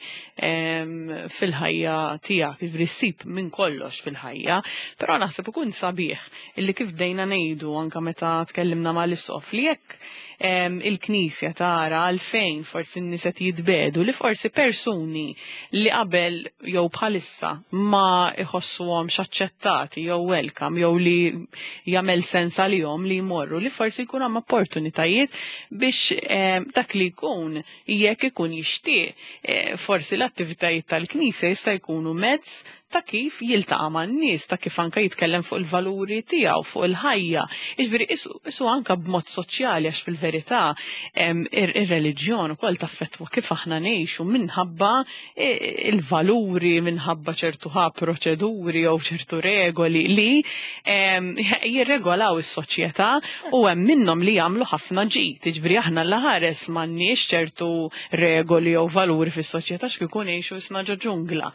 fil-ħajja tiegħek, jiġifieri ssib minn kollox fil-ħajja, però naħseb ikun sabiħ illi kif bdejna ngħidu anke meta tkellimna mal-isqof li jekk il-Knisja tara għalfejn forsi n-nies qed jitbedu li forsi persuni li qabel jew bħalissa ma iħossuhomx aċċettati jew welcome jew li jagħmel sens għalihom li jmorru li forsi jkun hemm opportunitajiet biex dak li jkun jekk ikun jixtieq eh, forsi l-attivitajiet tal-Knisja jista' jkunu mezz ta' kif jiltaqa' man-nies, ta' kif anke jitkellem fuq il-valuri tiegħu, fuq il-ħajja. Jiġifieri isu anke b'mod soċjali għax fil-verità ir-reliġjon ukoll taffettwa kif aħna ngħixu minħabba il-valuri, minħabba ċertu ħa proċeduri jew ċertu regoli li jirregolaw is-soċjetà u hemm minnhom li jagħmlu ħafna ġid. Jiġifieri aħna l-ħares m'għandniex ċertu regoli jew valuri fis-soċjetà x'kieku ngħixu isna ġo ġungla.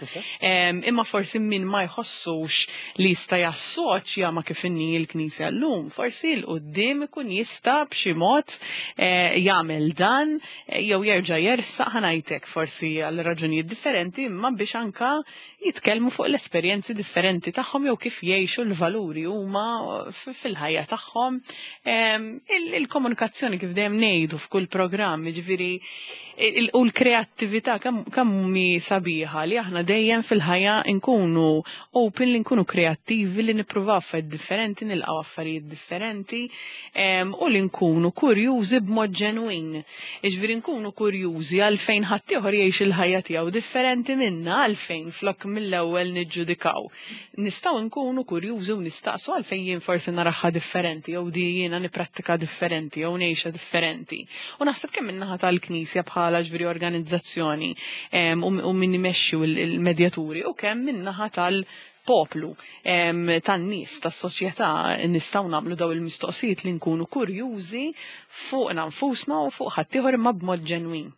Imma forsi min ma jħossux li jista' jassoċja ma' kif inhi l-Knisja llum, forsi 'l quddiem ikun jista' b'xi mod eh, jagħmel dan eh, jew jerġa' jersaq ħa ngħidlek forsi għal raġunijiet differenti imma biex anka jitkellmu fuq l-esperjenzi differenti tagħhom jew kif jgħixu l-valuri huma fil-ħajja tagħhom. Il-komunikazzjoni kif dejjem ngħidu f'kull programm, jiġifieri u l-kreattività kemm hi sabiħa li aħna dejjem fil-ħajja nkunu open li nkunu kreattivi li nippruvaw affarijiet differenti, nilqgħu affarijiet differenti u li nkunu kurjużi b'mod ġenwin. Jiġifieri nkunu kurjużi għalfejn ħaddieħor jgħix il-ħajja tiegħu differenti minna għalfejn flok mill-ewwel niġġudikaw. Nistgħu nkunu kurjużi u nistaqsu għalfejn jien forsi naraha differenti jew di jiena nipprattika differenti jew ngħixha differenti. U naħseb kemm min-naħa tal-Knisja bħala ġifieri organizzazzjoni u min imexxi il-medjaturi u kemm min-naħa tal-poplu, tan-nies, tas-soċjetà nistgħu nagħmlu daw il-mistoqsijiet li nkunu kurjużi fuqna nfusna u fuq ħaddieħor imma b'mod ġenwin.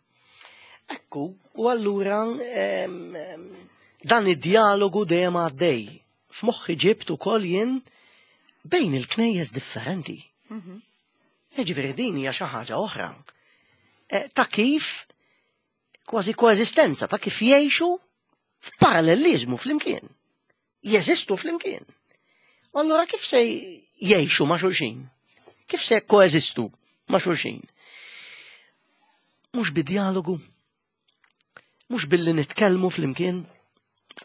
Ekku, u allura dan id-dialogu dejjem għaddej. F'moħħi ġibt ukoll jien bejn il-knejjes differenti. Jiġifieri din hija xi ħaġa oħra. Eh, ta' kif kważi koeżistenza, ta' kif jgħixu f'paralleliżmu flimkien. Jeżistu flimkien. U allura kif se jgħixu ma' xulxin? Kif se koeżistu ma' xulxin? Mhux bid-dialogu, mhux billi nitkellmu flimkien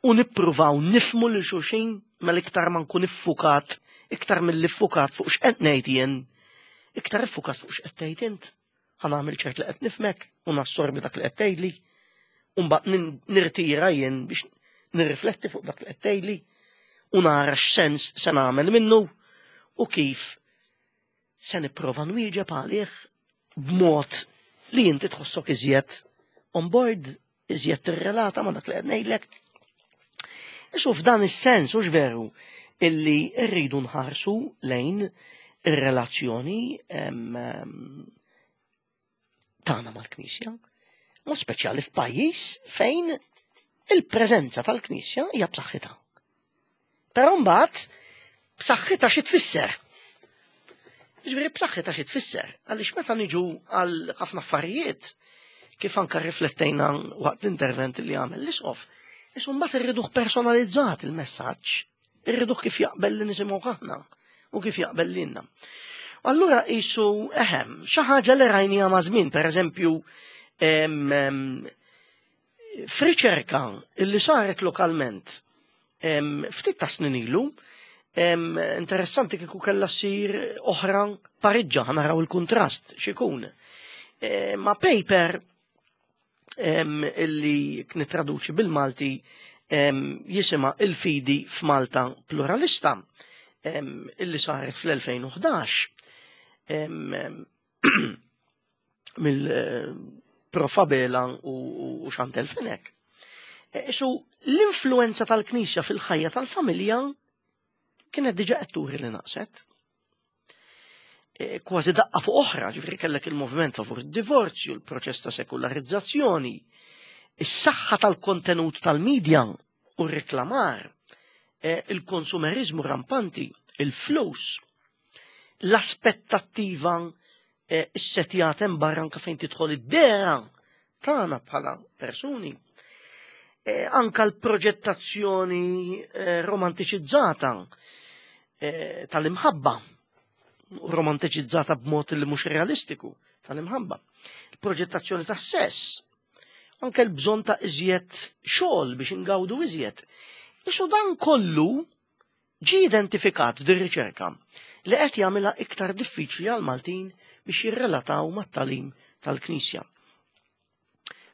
u nippruvaw nifmu lil xulxin mela iktar ma nkun iffukat, iktar mill iffukat fuq x'qed ngħid jien, iktar iffukat fuq x'qed tgħid int. Ħa nagħmel ċert li qed nifmek u nassorbi dak li qed tgħidli, u mbagħad nirtira jien biex nirrifletti fuq dak li qed tgħidli u nara x'sens se nagħmel minnu u kif se nipprova nwieġeb għalih b'mod li inti tħossok iżjed on board, iżjed tirrelata ma' dak li qed ngħidlek. Isu f'dan is-sens hux veru illi rridu nħarsu lejn ir-relazzjoni tagħna mal-Knisja, mod speċjali f'pajjiż fejn il-preżenza tal-Knisja hija b'saħħitha. Però mbagħad b'saħħitha xi tfisser? Ġifieri b'saħħitha xi tfisser? Għaliex meta niġu għal ħafna affarijiet, kif anka riflettejna waqt l-intervent li għamel l-isqof, isu mbagħad irriduh personalizzat il-messaġġ, irriduh kif jaqbel li nisimgħu aħna u kif jaqbel lilna. Allura isu eħem, xi ħaġa li rajnija ma' żmien, pereżempju, f'riċerka li saret lokalment ftit ta' snin ilu, interessanti kieku kellha ssir oħra pariġġa, naraw il-kuntrast x'ikun. E, ma' paper illi nitraduċi bil-Malti jisima il-fidi f'Malta pluralista illi saret fl-2011 mill-Prof Abela u Chantel Fenech. E, isu l-influenza tal-Knisja fil-ħajja tal-familja kienet diġa qed turi li naqset. E, kważi daqqa fuq oħra, ġifieri kellek il-moviment favur id-divorzju, il-proċess ta' sekularizzazzjoni, is-saħħa tal-kontenut tal-medja u r-reklamar, e, il-konsumerizmu rampanti, il-flus, l-aspettattiva eh, issetjat hemm barra anke fejn tidħol id-dera tagħna bħala persuni. Eh, anka l-proġettazzjoni eh, romantiċizzata tal-imħabba, romantiċizzata b'mod li mhux realistiku. tal-imħabba. Il-proġettazzjoni tas-sess, anke l-bżonn ta' iżjed xogħol biex ingawdu iżjed. Isu dan kollu ġie identifikat f'din riċerka li qed jagħmilha iktar diffiċli għal Maltin biex jirrelataw mat-tagħlim tal-Knisja.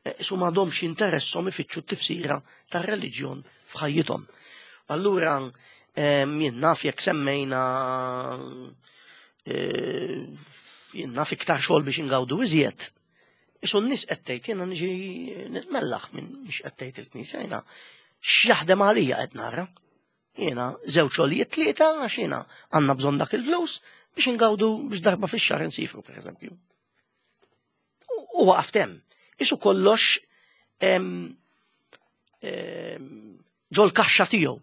Eh, isu m'għadhomx jinteresshom ifittxu t-tifsira tar-reliġjon f'ħajjithom. Allura jien naf jekk semmejna eh, jien naf iktar xogħol biex ingawdu iżjed. Isu n-nies qed tgħid jiena niġi nitmellaħ minn mhix qed tgħid il-Knisja jiena x'jaħdem għalija qed nara. Jiena żewġ xogħlijiet tlieta għax jiena għandna bżonn dak il-flus biex ingawdu biex darba fix-xahar insifru pereżempju. U waqaf hemm. Isu kollox ġol kaxxa tiegħu.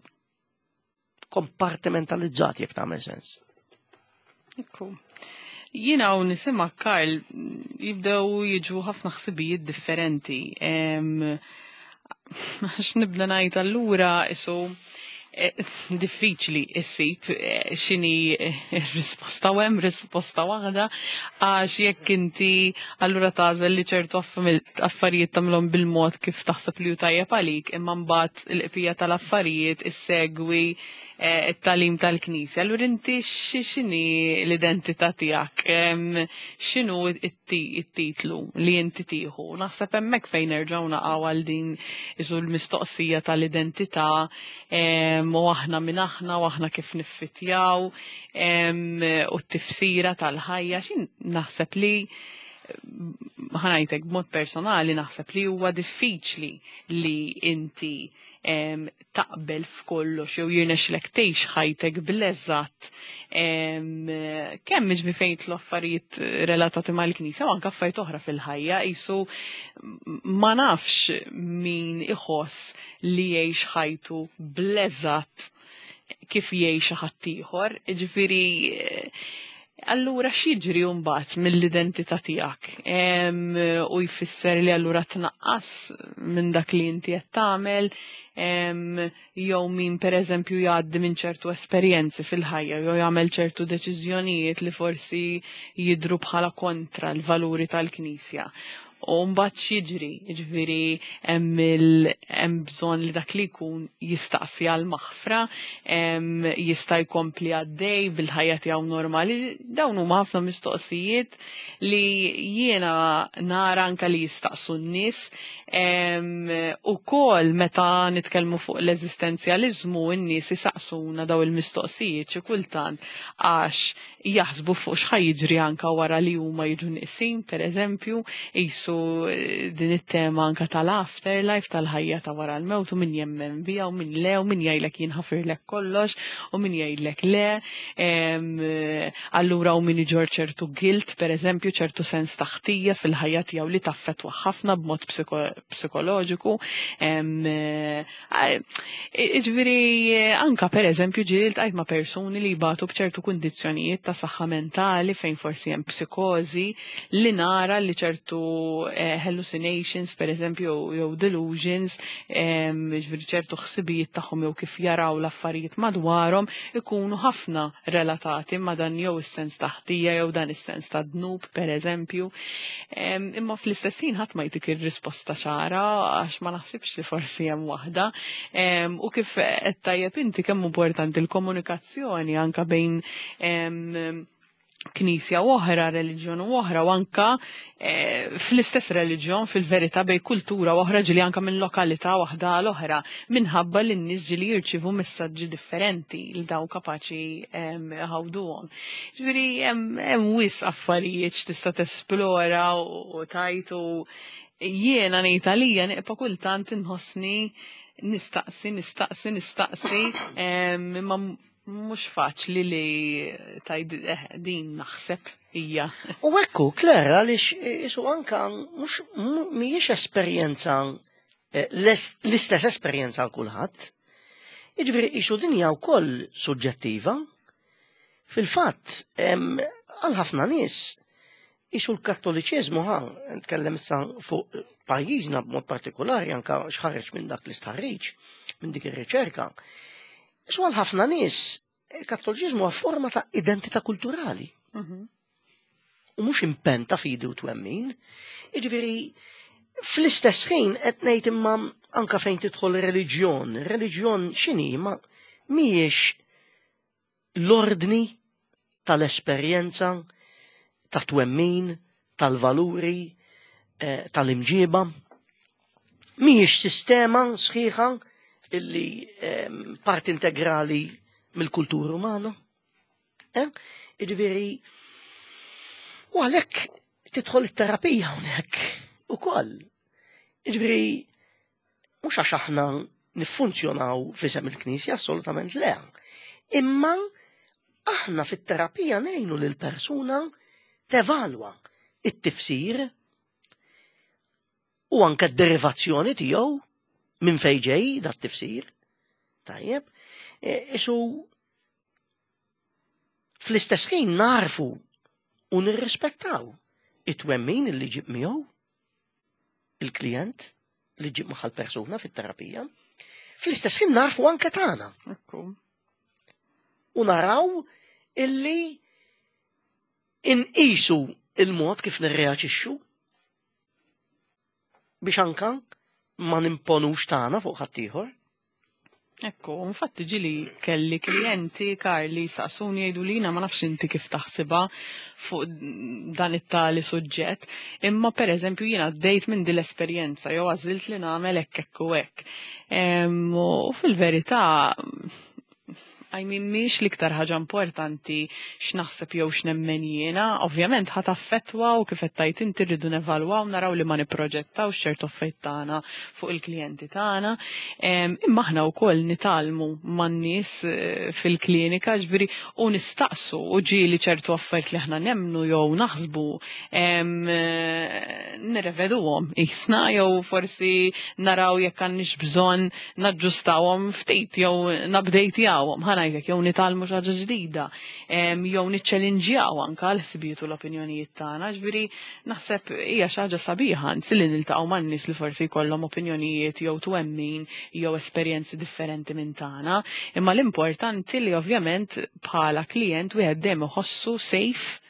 Kompartimentalizzat jekk tagħmel sens. Ekku. Jiena u nisima Karl jibdew jiġu ħafna ħsibijiet differenti. Għax nibda ngħid allura isu eh, diffiċli issib eh, x'inhi eh, r-risposta u hemm risposta waħda għax jekk inti allura tagħżel li ċertu affarijiet tagħmilhom bil-mod kif taħseb li hu tajjeb għalik imma mbagħad il-qpija tal-affarijiet issegwi Eh, it-talim tal-Knisja. Allura inti x'inhi l-identità tiegħek? X'inhu it-titlu li inti tieħu? Naħseb hemmhekk fejn nerġgħu naqgħu għal din isu l-mistoqsija tal-identità u aħna min aħna u aħna kif niffitjaw u t-tifsira tal-ħajja. X'in naħseb li ħanajtek b'mod personali naħseb li huwa diffiċli li inti taqbel f'kollox jew jirnexxilek tgħix ħajtek bl-eżatt kemm jiġri fejn jidħlu affarijiet relatati mal-Knisja u anke affarijiet oħra fil-ħajja qisu ma nafx min iħoss li jgħix ħajtu bl-eżatt kif jgħix ħaddieħor, jiġifieri Allura x'jiġri mbagħad mill-identità tiegħek? U jfisser li allura tnaqqas minn dak li inti qed tagħmel jew min pereżempju jgħaddi minn ċertu esperjenzi fil-ħajja jew jagħmel ċertu deċiżjonijiet li forsi jidhru bħala kontra l-valuri tal-Knisja. U mbagħad x'jiġri? Jiġifieri hemm hemm bżonn li dak li jkun jistaqsi għal maħfra, jista' jkompli għaddej bil-ħajja tiegħu normali. Dawn huma ħafna mistoqsijiet li jiena nara anka li jistaqsu n-nies. Ukoll meta nitkellmu fuq l-eżistenzjaliżmu n-nies isaqsuna daw il-mistoqsijiet xi kultant għax jaħsbu fuq x'ħa jiġri anka wara li huma jiġu nieqsin, pereżempju, qisu eh, din it-tema anka tal-afterlife, tal-ħajja ta' wara l-mewt u min jemmen biha u min le u min jgħidlek jien ħafirlek kollox u min jgħidlek le. Eh, allura u min iġor ċertu guilt, pereżempju, ċertu sens ta' ħtija fil-ħajja tiegħu li taffettwa ħafna b'mod psikoloġiku. Eh, Iġviri, anka per eżempju ġieli ltqajt ma' persuni li jbatu b'ċertu kundizzjonijiet ta' saħħa mentali fejn forsi hemm psikożi li nara li ċertu eh, hallucinations per eżempju jew delusions, ġifieri ċertu ħsibijiet tagħhom jew kif jaraw l-affarijiet madwarhom ikunu ħafna relatati ma' dan jew is-sens ta' ħtija jew dan is-sens ta' dnub per eżempju. Imma fl-istess ħin ħadd ma jtik ir-risposta ċara għax ma naħsibx li forsi hemm waħda. U kif qed tajjeb inti kemm importanti l-komunikazzjoni anka bejn knisja oħra, reliġjon oħra, u anka eh, fl-istess reliġjon fil-verità bej kultura oħra ġili anka minn lokalità waħda għal oħra, minħabba li n-nies ġili jirċivu messaġġi differenti li daw kapaċi ħawduhom. Ġifieri hemm wis affarijiet x'tista' tesplora u tajt u jiena ngħid għalija neqpa' kultant inħossni nistaqsi, nistaqsi, nistaqsi, imma mhux faċli li tajd eh, din naħseb hija. U ekku, Claire, għaliex isu anka mhux mhijiex esperjenza eh, l-istess esperjenza għal kulħadd. Jiġifieri isu din hija wkoll suġġettiva. Fil-fatt, għal ħafna nies isu l-Kattoliċiżmu ħa, nitkellem issa fuq pajjiżna b'mod partikolari anka x'ħareġ minn dak l-istħarriġ, minn dik ir-riċerka. Isu għal ħafna nies il-Kattoliċiżmu huwa forma ta' identità kulturali. Mhm. U mhux impenn ta' fidi u twemmin. Jiġifieri fl-istess ħin qed ngħid imma anka fejn tidħol reliġjon, reliġjon x'inhi ma mhijiex l-ordni tal-esperjenza, ta' twemmin, tal-valuri, eh, tal-imġiba. Mhijiex sistema sħiħa illi ehm, parti integrali mill-kultura umana. Eh? Jiġifieri, u għalhekk tidħol it-terapija hawnhekk ukoll. Jiġifieri, mhux għax aħna niffunzjonaw f'isem il-Knisja, assolutament le. Imma aħna fit-terapija ngħinu lil persuna tevalwa it-tifsir u anke d-derivazzjoni tiegħu minn fejn ġej dat tifsir. Tajjeb, e, isu fl-istess ħin narfu u nirrispettaw it-twemmin li ġib miegħu il-klient li ġib magħha l-persuna fit-terapija. Fl-istess ħin narfu anke tagħna. U naraw illi inqisu il-mod kif nirreaġixxu biex anka ma nimponux tagħna fuq ħaddieħor. Ekku, infatti ġili kelli klijenti Karli saqsuni jgħidu lina ma nafx inti kif taħsibha fuq dan it-tali suġġett, imma per eżempju jiena għaddejt minn din l-esperjenza jew għażilt li nagħmel hekk hekk u hekk. U fil-verità I mean, mhix l-iktar ħaġa importanti x'naħseb jew x'nemmen jiena, ovvjament ħa taffettwa u kif qed tgħid inti rridu nevalwaw naraw li ma nipproġettawx ċertu affarijiet tagħna fuq il-klijenti tagħna. Imma aħna wkoll nitgħallmu man-nies eh, fil-klinika, ġifieri u nistaqsu u ġieli ċertu affarijiet li aħna nemmnu jew naħsbu eh, nirreveduhom isna jew forsi naraw jekk għandniex bżonn naġġustawhom ftit jew nabdejtjawhom, ħa ngħidlek jew nitgħallmu xi ħaġa ġdida, jew niċċelinġjaw anke l-ħsibijiet u l-opinjonijiet tagħna, ġifieri naħseb hija xi ħaġa sabiħa anzi li niltaqgħu man-nies li forsi jkollhom opinjonijiet jew twemmin jew esperjenzi differenti minn tagħna, imma l-importanti li ovvjament bħala klijent wieħed dejjem iħossu safe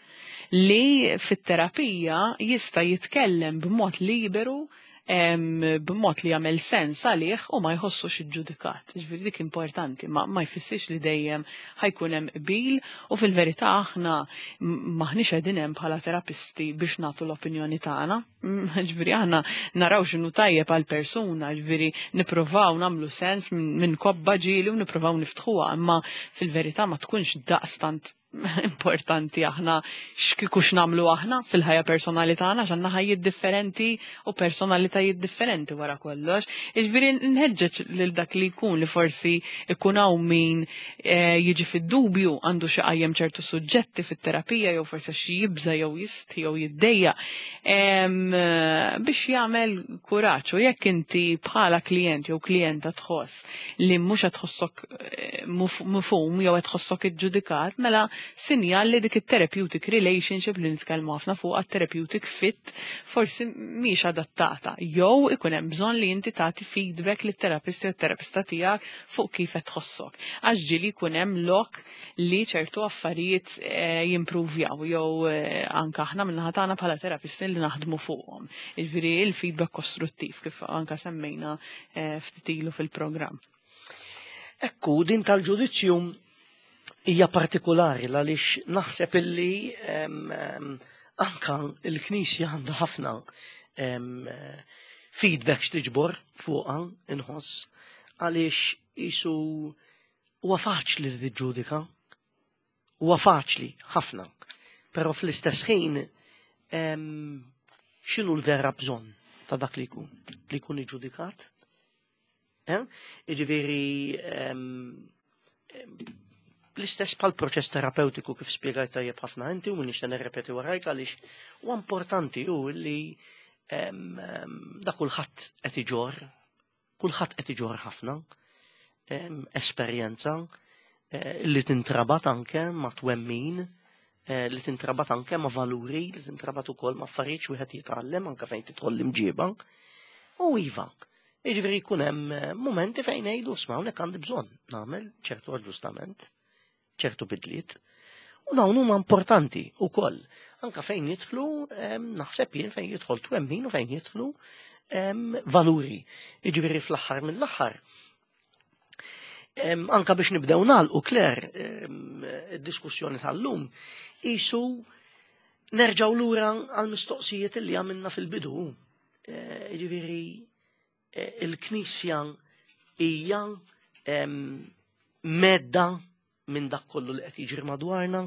li fit-terapija jista' jitkellem b'mod liberu b'mod li jagħmel sens għalih u ma jħossux iġġudikat. Ġifieri dik importanti, ma, ma jfissirx li dejjem ħa jkun hemm qbil u fil-verità aħna maħniex qegħdin hemm bħala terapisti biex nagħtu l-opinjoni tagħna. Ġifieri aħna naraw x'inhu tajjeb għal persuna, ġifieri nippruvaw nagħmlu sens minn kobba ġieli u nippruvaw niftħuha, imma fil-verità ma tkunx daqstant importanti aħna x'kieku x'nagħmlu aħna fil-ħajja personali tagħna għax għandna ħajjiet differenti u personalitajiet differenti wara kollox. Jiġifieri nħeġġeġ lil dak li jkun li forsi ikun hawn min eh, jiġi fid-dubju għandu xi qajjem ċertu suġġetti fit-terapija jew forsi xi jibża jew jistħi jew jiddejja biex jagħmel kuraġġ u jekk inti bħala klijent jew klijenta tħoss li mhux qed tħossok eh, mifhum jew qed tħossok iġġudikat, mela sinjal li dik it-therapeutic relationship li nitkellmu ħafna fuq therapeutic fit forsi mhix adattata. Jew ikun hemm bżonn li inti tagħti feedback lit-terapist jew terapista tiegħek fuq kif qed tħossok. Għax ġieli jkun hemm lok li ċertu affarijiet eh, jimpruvjaw jew eh, anka aħna minnaħa tagħna bħala terapisti li naħdmu fuqhom. Jiġifieri il-feedback kostruttiv kif anka semmejna eh, ftit ilu fil-programm. Ekku, din tal-ġudizzju hija partikolari għaliex naħseb illi anka il-Knisja għandha ħafna feedback x'tiġbor fuqha inħoss għaliex isu huwa faċli li tiġġudika. Huwa faċli ħafna. Però fl-istess ħin x'inhu l-vera bżonn ta' dak li jkun? Li jkun iġġudikat? Eh? Jiġifieri l-istess bħal proċess terapeutiku kif spjegajt tajjeb ħafna inti u minix nirrepeti warajk għaliex huwa importanti hu li da kulħadd qed iġorr Kulħadd qed iġorr ħafna esperjenza eh, li tintrabat anke ma' twemmin, eh, li tintrabat anke ma' valuri, li tintrabat ukoll ma' affarijiet wieħed jitgħallem anke fejn tidħol l-imġiba. U iva, jiġifieri jkun hemm eh, momenti fejn ngħidu sma' hawnhekk għandi bżonn nagħmel ċertu aġġustament, ċertu bidliet. U dawn huma importanti wkoll. Anka fejn jidħlu, naħseb jien fejn jidħol twemmin u fejn jidħlu valuri. Jiġifieri fl-aħħar mill-aħħar. Anka biex nibdew nagħlqu Claire id-diskussjoni tal-lum, isu nerġgħu lura għal mistoqsijiet li għamilna fil-bidu. Jiġifieri il-Knisja hija medda minn dak kollu li qed jiġri madwarna.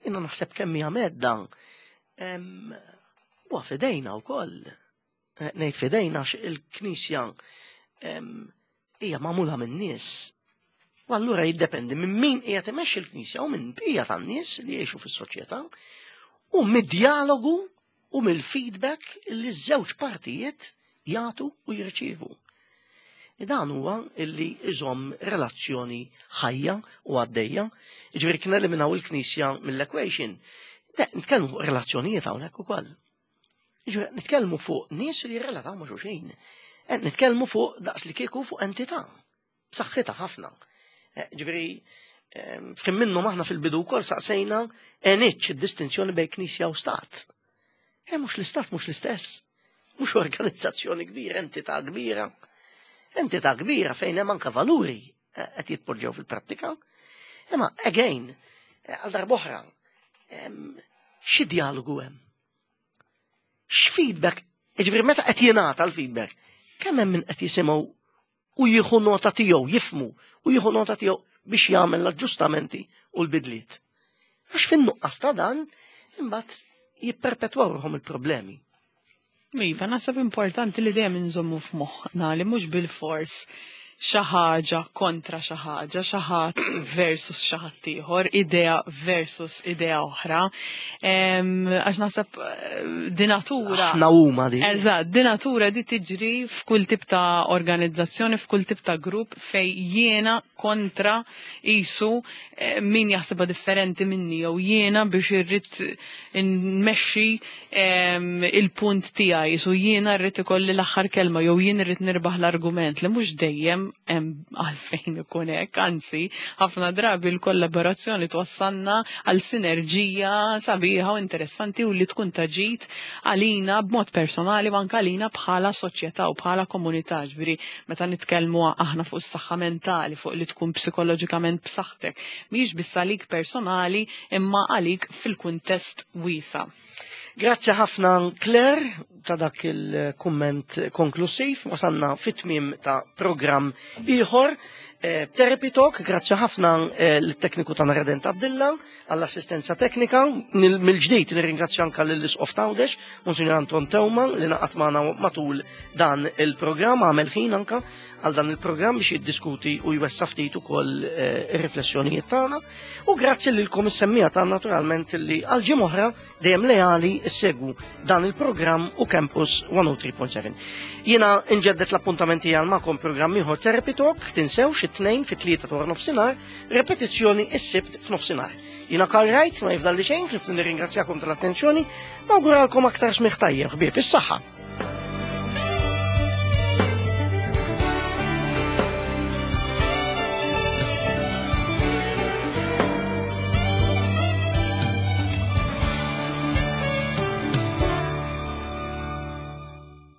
Jiena naħseb kemm hija medda. Huwa fidejna wkoll. Ngħid fidejna għax il-Knisja hija magħmula minn nies. U allura jiddependi minn min qiegħed imexxi l-Knisja u minn bqija tan-nies li jgħixu fis-soċjetà u mid-dialogu u mill-feedback li ż-żewġ partijiet jagħtu u jirċievu. Dan huwa illi iżomm relazzjoni ħajja u għaddejja. Jiġifieri kien eliminaw il-Knisja mill-equation. Nitkellmu fuq relazzjonijiet hawnhekk ukoll. Jiġifieri nitkellmu fuq nies li jirrelataw ma' xulxin. Nitkellmu fuq daqs li kieku fuq entità b'saħħitha ħafna. Ġifieri f'ħin minnhom aħna fil-bidu wkoll saqsejna għenitx id-distinzjoni bejn Knisja u Stat. Mhux l-Istat mhux l-istess. Mhux organizzazzjoni kbira, entità kbira. Entità kbira fejn hemm anke valuri qed jitpoġġew fil-prattika. Imma again, għal darb'oħra, xi dialogu hemm? X'feedback, jiġifieri meta qed jingħata l-feedback, kemm hemm min qed jisimgħu u jieħu nota tiegħu, jifmu u jieħu nota tiegħu biex jagħmel l-aġġustamenti u l-bidliet. Għax fin-nuqqas ta' dan, imbagħad jipperpetwaw ruħhom il-problemi. Iva, naħseb importanti li dejjem inżommu f'moħħna li mhux bil-fors xi ħaġa kontra xi ħaġa, xi ħadd versus xi ħadd ieħor, idea versus idea oħra. Għax naħseb di natura. Aħna huma di. Eżatt, di natura di tiġri f'kull tip ta' organizzazzjoni, f'kull tip ta' grupp fej jiena kontra isu min jaħsibha differenti minni jew jiena biex irrid nmexxi il-punt tiegħi, isu jiena rrid ikolli l-aħħar kelma jew jien irrid nirbaħ l-argument li mhux dejjem hemm għalfejn ikun hekk, anzi ħafna drabi l-kollaborazzjoni twassalna għal sinerġija sabiħa u interessanti u li tkun taġit għalina b'mod personali u anke għalina bħala soċjetà u bħala komunità. Ġifieri meta nitkellmu aħna fuq is-saħħa mentali, fuq li tkun psikoloġikament b'saħħtek, mhijiex biss għalik personali imma għalik fil-kuntest wiesa'. Grazzi ħafna Claire ta' dak il-kumment konklusiv. Wasanna fit-tmiem ta' programm ieħor. Therapy Talk, grazzi ħafna l-tekniku ta' Redent Abdilla għall-assistenza teknika. Mill-ġdid nirringrazzja anka lill-Isqof Tawdex, Monsignor Anton Teuma, li naqat magħna matul dan il-programm, għamel ħin anka għal dan il-programm biex jiddiskuti u jwessa ftit ukoll ir-riflessjonijiet tagħna. U grazzi lilkom is-semmija tagħna naturalment li għal ġimgħa oħra dejjem leali ssegwu dan il-programm u Campus 103.7. Jiena nġeddet l-appuntamenti għal magħkom programm ieħor Therapy Talk, tinsewx it-tnejn fit-tlieta ta' nofsinhar, repetizzjoni s-sibt f'nofsinhar. Jiena Karl Wright, ma jifdalli xejn, ħlief nirringrazzjakom tal-attenzjoni, nawguralkom aktar smigħ tajjeb, ħbieb, is-saħħa.